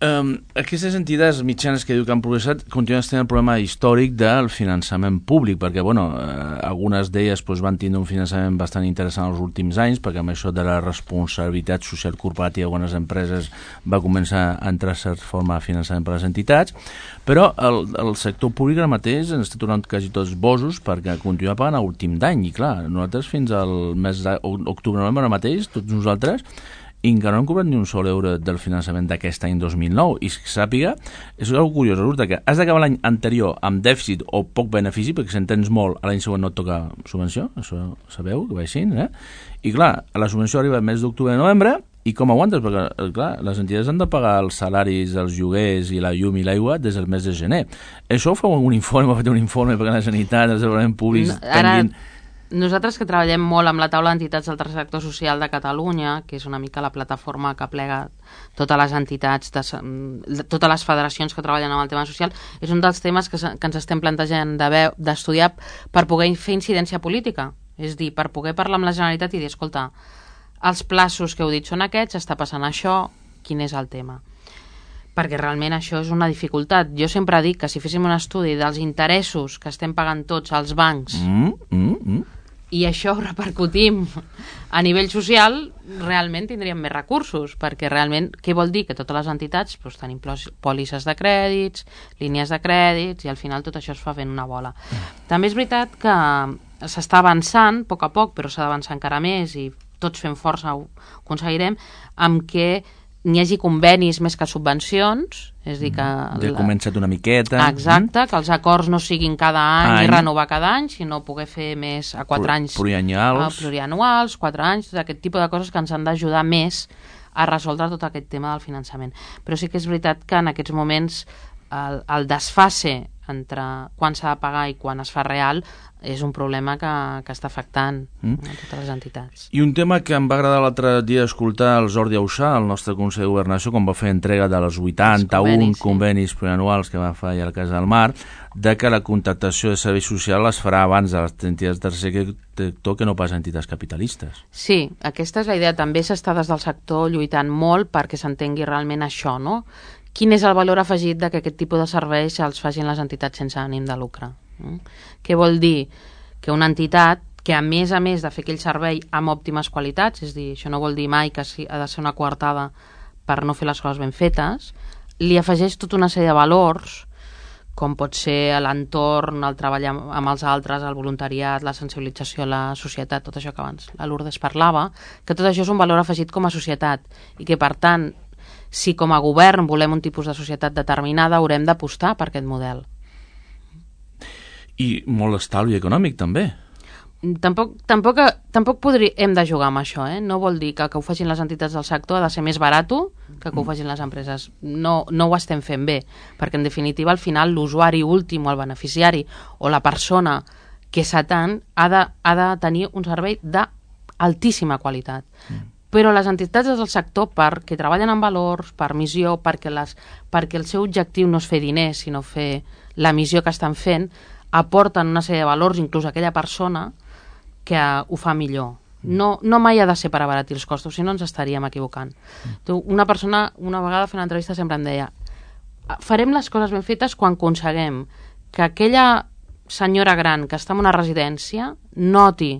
Um, aquestes entitats mitjanes que diu que han progressat continuen tenint el problema històric del finançament públic, perquè bueno, eh, algunes d'elles pues, van tindre un finançament bastant interessant els últims anys, perquè amb això de la responsabilitat social corporativa de algunes empreses va començar a entrar certa forma de finançament per les entitats, però el, el sector públic ara mateix ens està tornant quasi tots bosos perquè continua pagant a últim d'any, i clar, nosaltres fins al mes d'octubre-novembre ara mateix, tots nosaltres, i encara no hem cobrat ni un sol euro del finançament d'aquest any dos mil nou, i que sàpiga, és una cosa curiosa, resulta que has d'acabar l'any anterior amb dèficit o poc benefici, perquè si en tens molt, l'any següent no et toca subvenció, això sabeu que va així, eh? I clar, la subvenció arriba al mes d'octubre i novembre, i com aguantes? Perquè, clar, les entitats han de pagar els salaris, els lloguers i la llum i l'aigua des del mes de gener. Això ho feu un informe, ho fet un informe perquè la Generalitat, els departaments públics... No, ara... Tinguin... Nosaltres que treballem molt amb la taula d'entitats del tercer sector social de Catalunya, que és una mica la plataforma que plega totes les entitats, de, totes les federacions que treballen amb el tema social, és un dels temes que, que ens estem plantejant d'estudiar per poder fer incidència política. És dir, per poder parlar amb la Generalitat i dir, escolta, els plaços que heu dit són aquests, està passant això, quin és el tema? Perquè realment això és una dificultat. Jo sempre dic que si féssim un estudi dels interessos que estem pagant tots als bancs mm, mm, mm. i això ho repercutim a nivell social, realment tindríem més recursos, perquè realment, què vol dir? Que totes les entitats doncs, tenim pòlisses de crèdits, línies de crèdits, i al final tot això es fa fent una bola. També és veritat que s'està avançant, a poc a poc, però s'ha d'avançar encara més, i tots fent força ho aconseguirem, amb què n'hi hagi convenis més que subvencions, és dir que... De la... començat una miqueta... Exacte, mm? que els acords no siguin cada any, any i renovar cada any, sinó poder fer més a quatre Pro, anys... Plurianuals. Plurianuals, quatre anys, tot aquest tipus de coses que ens han d'ajudar més a resoldre tot aquest tema del finançament. Però sí que és veritat que en aquests moments el, el desfase entre quan s'ha de pagar i quan es fa real és un problema que, que està afectant mm. a totes les entitats. I un tema que em va agradar l'altre dia escoltar el Jordi Auxà, el nostre Consell de Governació, quan va fer entrega de les vuitanta-un convenis, sí. convenis plurianuals que va fer al Cas del Mar, de que la contractació de serveis socials es farà abans de les entitats del tercer sector que no pas entitats capitalistes. Sí, aquesta és la idea. També s'està des del sector lluitant molt perquè s'entengui realment això, no? Quin és el valor afegit de que aquest tipus de serveis els facin les entitats sense ànim de lucre? Mm? Què vol dir? Que una entitat que a més a més de fer aquell servei amb òptimes qualitats, és dir, això no vol dir mai que ha de ser una coartada per no fer les coses ben fetes, li afegeix tota una sèrie de valors, com pot ser l'entorn, el treball amb els altres, el voluntariat, la sensibilització a la societat, tot això que abans la Lourdes parlava, que tot això és un valor afegit com a societat i que, per tant, si com a govern volem un tipus de societat determinada, haurem d'apostar per aquest model. I molt estalvi econòmic, també. Tampoc, tampoc, tampoc podri, hem de jugar amb això, eh? No vol dir que que ho facin les entitats del sector ha de ser més barat que que ho facin les empreses. No, no ho estem fent bé, perquè en definitiva al final l'usuari últim o el beneficiari o la persona que s'atén ha, de, ha de tenir un servei d'altíssima qualitat. Mm. Però les entitats del sector, perquè treballen amb valors, per missió, perquè, les, perquè el seu objectiu no és fer diners, sinó fer la missió que estan fent, aporten una sèrie de valors, inclús a aquella persona que ho fa millor. No, no mai ha de ser per abaratir els costos, si no ens estaríem equivocant. Una persona, una vegada fent una entrevista, sempre em deia farem les coses ben fetes quan aconseguem que aquella senyora gran que està en una residència noti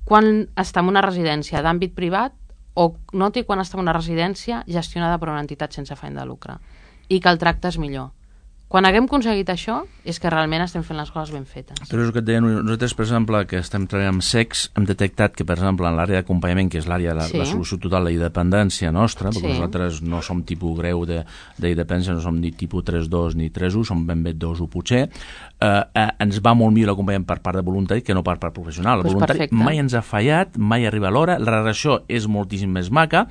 quan està en una residència d'àmbit privat o noti quan està en una residència gestionada per una entitat sense afany de lucre i que el tracte és millor. Quan haguem aconseguit això, és que realment estem fent les coses ben fetes. Però és el que et deia, nosaltres, per exemple, que estem treballant amb sex, hem detectat que, per exemple, en l'àrea d'acompanyament, que és l'àrea de la, sí. la solució total de la independència nostra, perquè sí. nosaltres no som tipus greu de, de independència, no som ni tipus tres dos ni tres u, som ben bé dos u potser, eh, eh, ens va molt millor l'acompanyament per part de voluntari que no per part professional. El pues voluntari perfecte. mai ens ha fallat, mai arriba a l'hora, la relació és moltíssim més maca,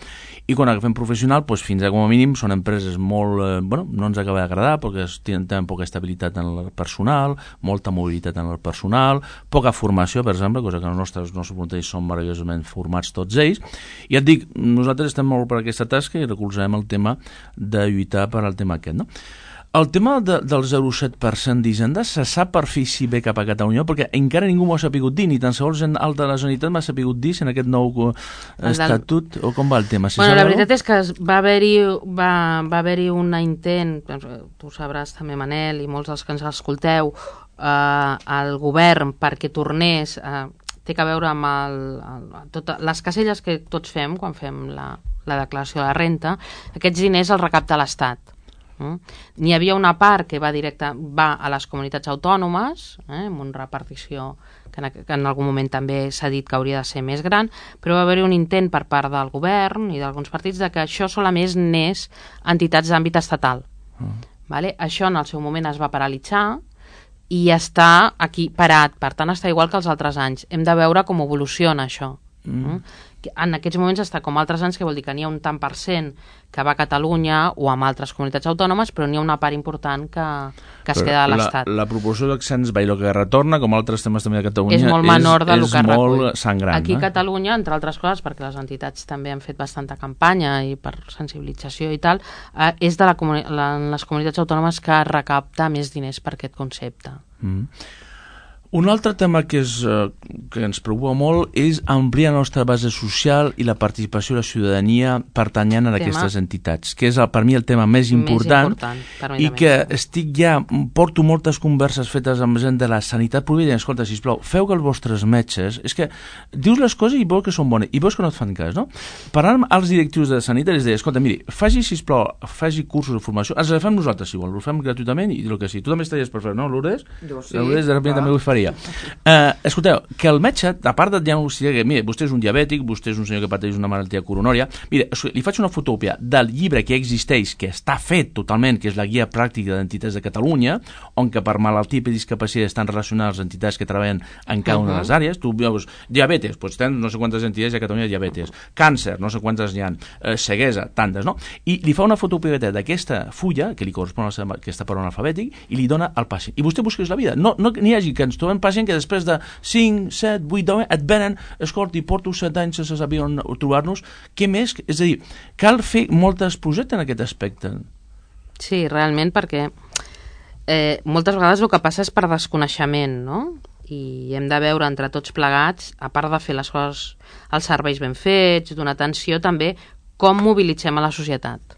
i quan agafem professional, pues, fins a com a mínim són empreses molt, eh, bueno, no ens acaba d'agradar, perquè tenen, tenen poca estabilitat en el personal, molta mobilitat en el personal, poca formació, per exemple, cosa que els nostres, els nostres voluntaris són meravellosament formats tots ells, i et dic, nosaltres estem molt per aquesta tasca i recolzarem el tema de lluitar per al tema aquest, no? El tema de, del zero coma set per cent d'Hisenda se sap per fi si ve cap a Catalunya, perquè encara ningú m'ho ha sapigut dir, ni tan sols gent alta de la Generalitat m'ha sapigut dir si en aquest nou estatut, o com va el tema? Si bueno, la veritat és que va haver-hi va, va haver-hi un intent, tu sabràs també, Manel, i molts dels que ens escolteu, eh, al govern perquè tornés, eh, té a veure amb el, el, tot, les caselles que tots fem quan fem la, la declaració de la renta, aquests diners els recapta l'Estat. Mm. N'hi havia una part que va directa va a les comunitats autònomes, eh, amb una repartició que en, que en algun moment també s'ha dit que hauria de ser més gran, però va haver-hi un intent per part del govern i d'alguns partits de que això solament n'és entitats d'àmbit estatal. Mm. Vale? Això en el seu moment es va paralitzar i està aquí parat, per tant està igual que els altres anys. Hem de veure com evoluciona això. Mm. En aquests moments està com altres anys, que vol dir que n'hi ha un tant per cent que va a Catalunya o amb altres comunitats autònomes, però n'hi ha una part important que, que es queda a l'Estat. La, la proporció d'accents va i el que retorna, com altres temes també a Catalunya, és molt menor és, del és que molt recull. sangrant. Aquí a eh? Catalunya, entre altres coses, perquè les entitats també han fet bastanta campanya i per sensibilització i tal, eh, és de la comuni la, les comunitats autònomes que recapta més diners per aquest concepte. Mm. Un altre tema que, és, eh, que ens preocupa molt és ampliar la nostra base social i la participació de la ciutadania pertanyent a aquestes entitats, que és el, per mi el tema més important, més important i que estic ja, porto moltes converses fetes amb gent de la sanitat pública i escolta, sisplau, feu que els vostres metges, és que dius les coses i veus que són bones, i veus que no et fan cas, no? Parlant amb els directius de sanitat, es deia, escolta, miri, faci, sisplau, faci cursos de formació, els fem nosaltres, si vol, els fem gratuïtament i el que sí. Tu també estaries per fer, no, Lourdes? Jo sí. Lourdes, de repente també ho faria. Uh, escolteu, que el metge, a part de diagnosticar que mira, vostè és un diabètic, vostè és un senyor que pateix una malaltia coronòria, mira, li faig una fotocòpia del llibre que existeix, que està fet totalment, que és la guia pràctica d'entitats de Catalunya, on que per malaltia i discapacitat estan relacionades les entitats que treballen en cada una de les àrees. Tu veus, diabetes, doncs tens no sé quantes entitats a Catalunya de diabetes, càncer, no sé quantes n'hi ha, eh, ceguesa, tantes, no? I li fa una fotocòpia d'aquesta fulla, que li correspon a aquesta per un alfabètic, i li dona al pacient. I vostè busca la vida. No, no n'hi hagi que ens trobem pacient que després de cinc, set, vuit, deu et venen, escolti, porto set anys sense saber on trobar-nos, què més? És a dir, cal fer moltes projectes en aquest aspecte. Sí, realment, perquè eh, moltes vegades el que passa és per desconeixement, no? I hem de veure entre tots plegats, a part de fer les coses, els serveis ben fets, donar atenció, també com mobilitzem a la societat.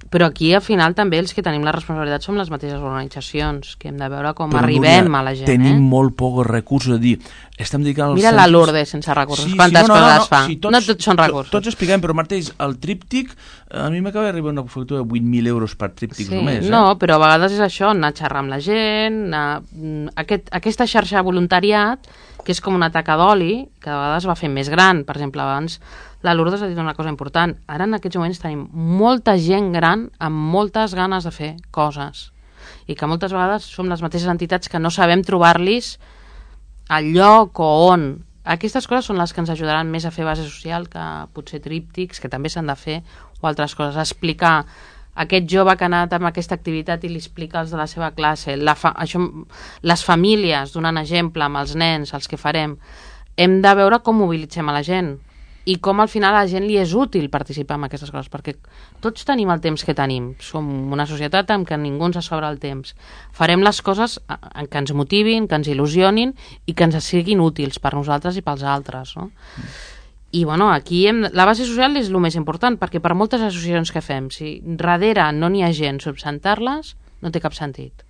Però aquí, al final, també els que tenim la responsabilitat som les mateixes organitzacions, que hem de veure com Però, arribem Núria, a la gent. Tenim eh? molt pocs recursos, a dir, estem dedicant... Mira la Lourdes sense recursos, sí, quantes sí, no, no, coses no, no, fa. Sí, tots, no tots són recursos. Tots expliquem, però mateix, el tríptic, a mi m'acaba d'arribar una factura de vuit mil euros per tríptic sí, només. Eh? No, però a vegades és això, anar a xerrar amb la gent, anar... Aquest, aquesta xarxa de voluntariat, que és com una taca d'oli, que a vegades va fent més gran. Per exemple, abans la Lourdes ha dit una cosa important. Ara en aquests moments tenim molta gent gran amb moltes ganes de fer coses i que moltes vegades som les mateixes entitats que no sabem trobar-los al lloc o on. Aquestes coses són les que ens ajudaran més a fer base social que potser tríptics, que també s'han de fer, o altres coses. Explicar aquest jove que ha anat amb aquesta activitat i li explica als de la seva classe, la fa això, les famílies, donant exemple amb els nens, els que farem. Hem de veure com mobilitzem a la gent i com al final a la gent li és útil participar en aquestes coses, perquè tots tenim el temps que tenim. Som una societat en què ningú ens sobra el temps. Farem les coses en què ens motivin, que ens il·lusionin i que ens siguin útils per nosaltres i pels altres, no? Mm. I bueno, aquí hem, la base social és el més important, perquè per moltes associacions que fem, si darrere no n'hi ha gent substantar-les, no té cap sentit.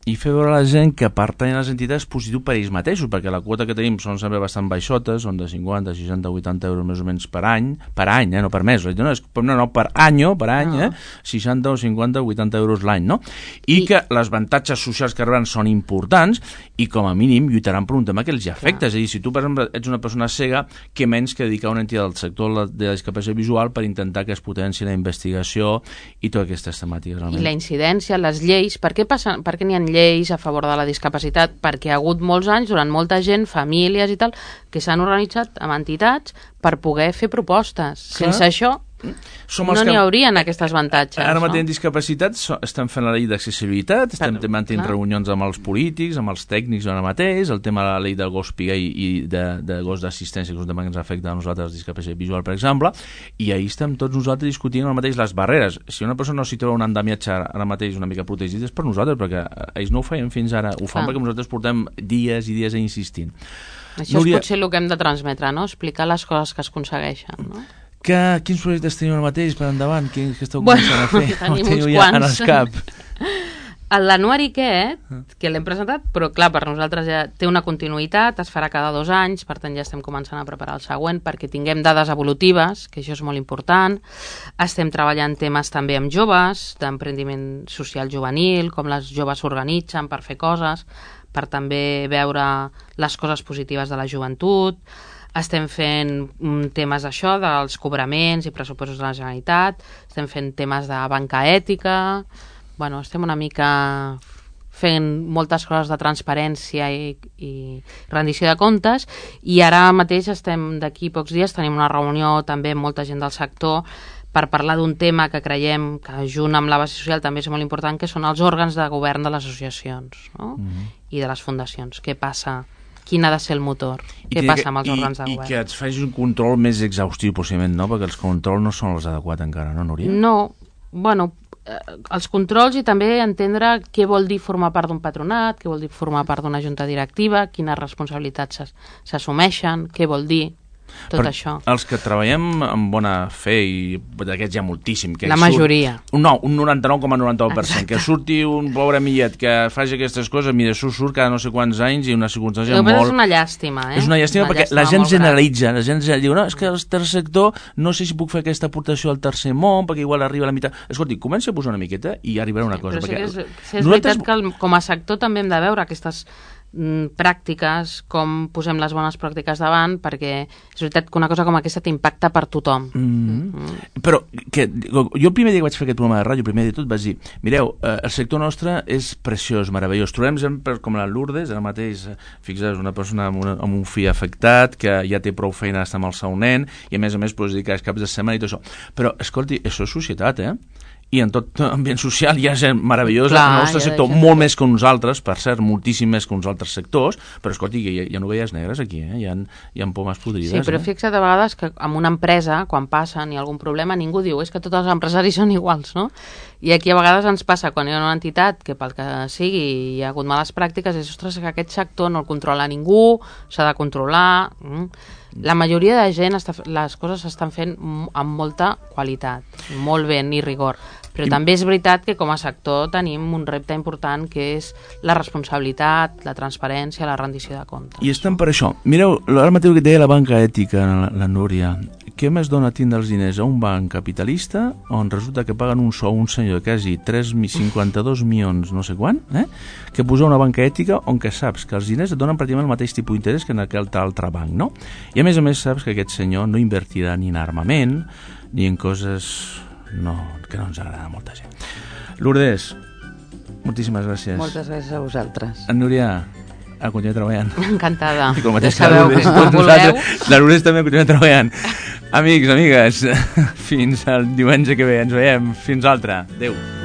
i fer veure a la gent que pertanyen a les entitats és positiu per ells mateixos, perquè la quota que tenim són sempre bastant baixotes, són de cinquanta, seixanta, vuitanta euros més o menys per any, per any, eh, no per mes, no, és, no, no per any, per any, no. eh, seixanta o cinquanta, vuitanta euros l'any, no? I, I que les avantatges socials que rebran són importants i com a mínim lluitaran per un tema que els hi afecta. Clar. És a dir, si tu, per exemple, ets una persona cega, què menys que dedicar una entitat del sector de la discapacitat visual per intentar que es potenci la investigació i totes aquestes temàtiques. Realment. I la incidència, les lleis, per què, passen, per què n'hi ha lleis a favor de la discapacitat? Perquè hi ha hagut molts anys, durant molta gent, famílies i tal, que s'han organitzat amb entitats per poder fer propostes. Clar. Sense això Som no n'hi que... haurien aquests avantatges. Ara mateix no? en discapacitat so, estem fent la llei d'accessibilitat, estem Però, mantenint clar. reunions amb els polítics, amb els tècnics ara mateix, el tema de la llei del gos piguer i de, de gos d'assistència, que és un tema que ens afecta a nosaltres, discapacitat visual, per exemple, i ahir estem tots nosaltres discutint ara mateix les barreres. Si una persona no s'hi troba un andamiatge ara mateix una mica protegit, és per nosaltres, perquè ells no ho feien fins ara, ho fan clar. perquè nosaltres portem dies i dies insistint. Això Núria... és potser el que hem de transmetre, no? Explicar les coses que es aconsegueixen, no? Que, quins projectes teniu ara mateix per endavant? Què, què esteu començant bueno, a fer? Tenim uns ja quants. Cap? L'anuari aquest, que l'hem presentat, però clar, per nosaltres ja té una continuïtat, es farà cada dos anys, per tant ja estem començant a preparar el següent perquè tinguem dades evolutives, que això és molt important. Estem treballant temes també amb joves, d'emprendiment social juvenil, com les joves s'organitzen per fer coses, per també veure les coses positives de la joventut. Estem fent temes d'això, dels cobraments i pressupostos de la Generalitat, estem fent temes de banca ètica, bueno, estem una mica fent moltes coses de transparència i, i rendició de comptes, i ara mateix estem, d'aquí pocs dies, tenim una reunió també amb molta gent del sector per parlar d'un tema que creiem que junt amb la base social també és molt important, que són els òrgans de govern de les associacions, no? Mm-hmm. I de les fundacions. Què passa? Quin ha de ser el motor? I Què passa amb els òrgans de govern? I que et facis un control més exhaustiu, possiblement, no? Perquè els controls no són els adequats encara, no, Núria? No, bueno, eh, els controls i també entendre què vol dir formar part d'un patronat, què vol dir formar part d'una junta directiva, quines responsabilitats s'assumeixen, què vol dir tot per això. Els que treballem amb bona fe, i d'aquests hi ha moltíssim, que la majoria. Surt, no, un noranta-nou coma noranta-nou per cent, que surti un pobre millet que faci aquestes coses, mira, això surt cada no sé quants anys i una circumstància molt... És una llàstima, eh? És una llàstima una perquè llàstima la gent generalitza, gran. la gent diu, no, és que el tercer sector, no sé si puc fer aquesta aportació al tercer món, perquè igual arriba a la meitat. Escolti, comença a posar una miqueta i arribarà una sí, cosa. Però perquè sí que és, sí és nosaltres... veritat que el, com a sector també hem de veure aquestes pràctiques, com posem les bones pràctiques davant, perquè és veritat que una cosa com aquesta t'impacta per tothom. Mm-hmm. Mm-hmm. Però que, jo el primer dia que vaig fer aquest programa de ràdio, el primer dia de tot vaig dir, mireu, eh, el sector nostre és preciós, meravellós. Trobem gent com la Lourdes, ara mateix, fixa't, una persona amb, una, amb un fill afectat, que ja té prou feina d'estar amb el seu nen, i a més a més pues, dedicar els caps de setmana i tot això. Però, escolti, això és societat, eh? I en tot ambient social hi ha gent meravellosa, Clar, el nostre sector gent... molt més que uns altres, per cert, moltíssim més que uns altres sectors, però escolti, hi ha, hi ha novelles negres aquí, eh? hi, ha, hi ha pomes podrides. Sí, però eh? fixa't a vegades que en una empresa, quan passen i algun problema, ningú diu, és que tots els empresaris són iguals, no? I aquí a vegades ens passa, quan hi ha una entitat que pel que sigui hi ha hagut males pràctiques, és, ostres, que aquest sector no el controla ningú, s'ha de controlar... Mm. La majoria de gent, està, les coses s'estan fent amb molta qualitat, molt bé, ni rigor. Però I... també és veritat que com a sector tenim un repte important, que és la responsabilitat, la transparència, la rendició de comptes. I estem per això. Mireu, ara mateix que deia la banca ètica, la, la Núria, què més dona tindre els diners a un banc capitalista on resulta que paguen un sou un senyor de quasi tres coma cinquanta-dos milions no sé quan, eh? que posar una banca ètica on que saps que els diners et donen pràcticament el mateix tipus d'interès que en aquell altre banc, no? I a més a més saps que aquest senyor no invertirà ni en armament ni en coses no, que no ens agrada a molta gent. Lourdes, moltíssimes gràcies. Moltes gràcies a vosaltres. En Núria, a continuar treballant. Encantada. I com mateix ja sabeu que quan voleu. La Lourdes també continua treballant. Amics, amigues, fins al diumenge que ve. Ens veiem. Fins altre. Adéu.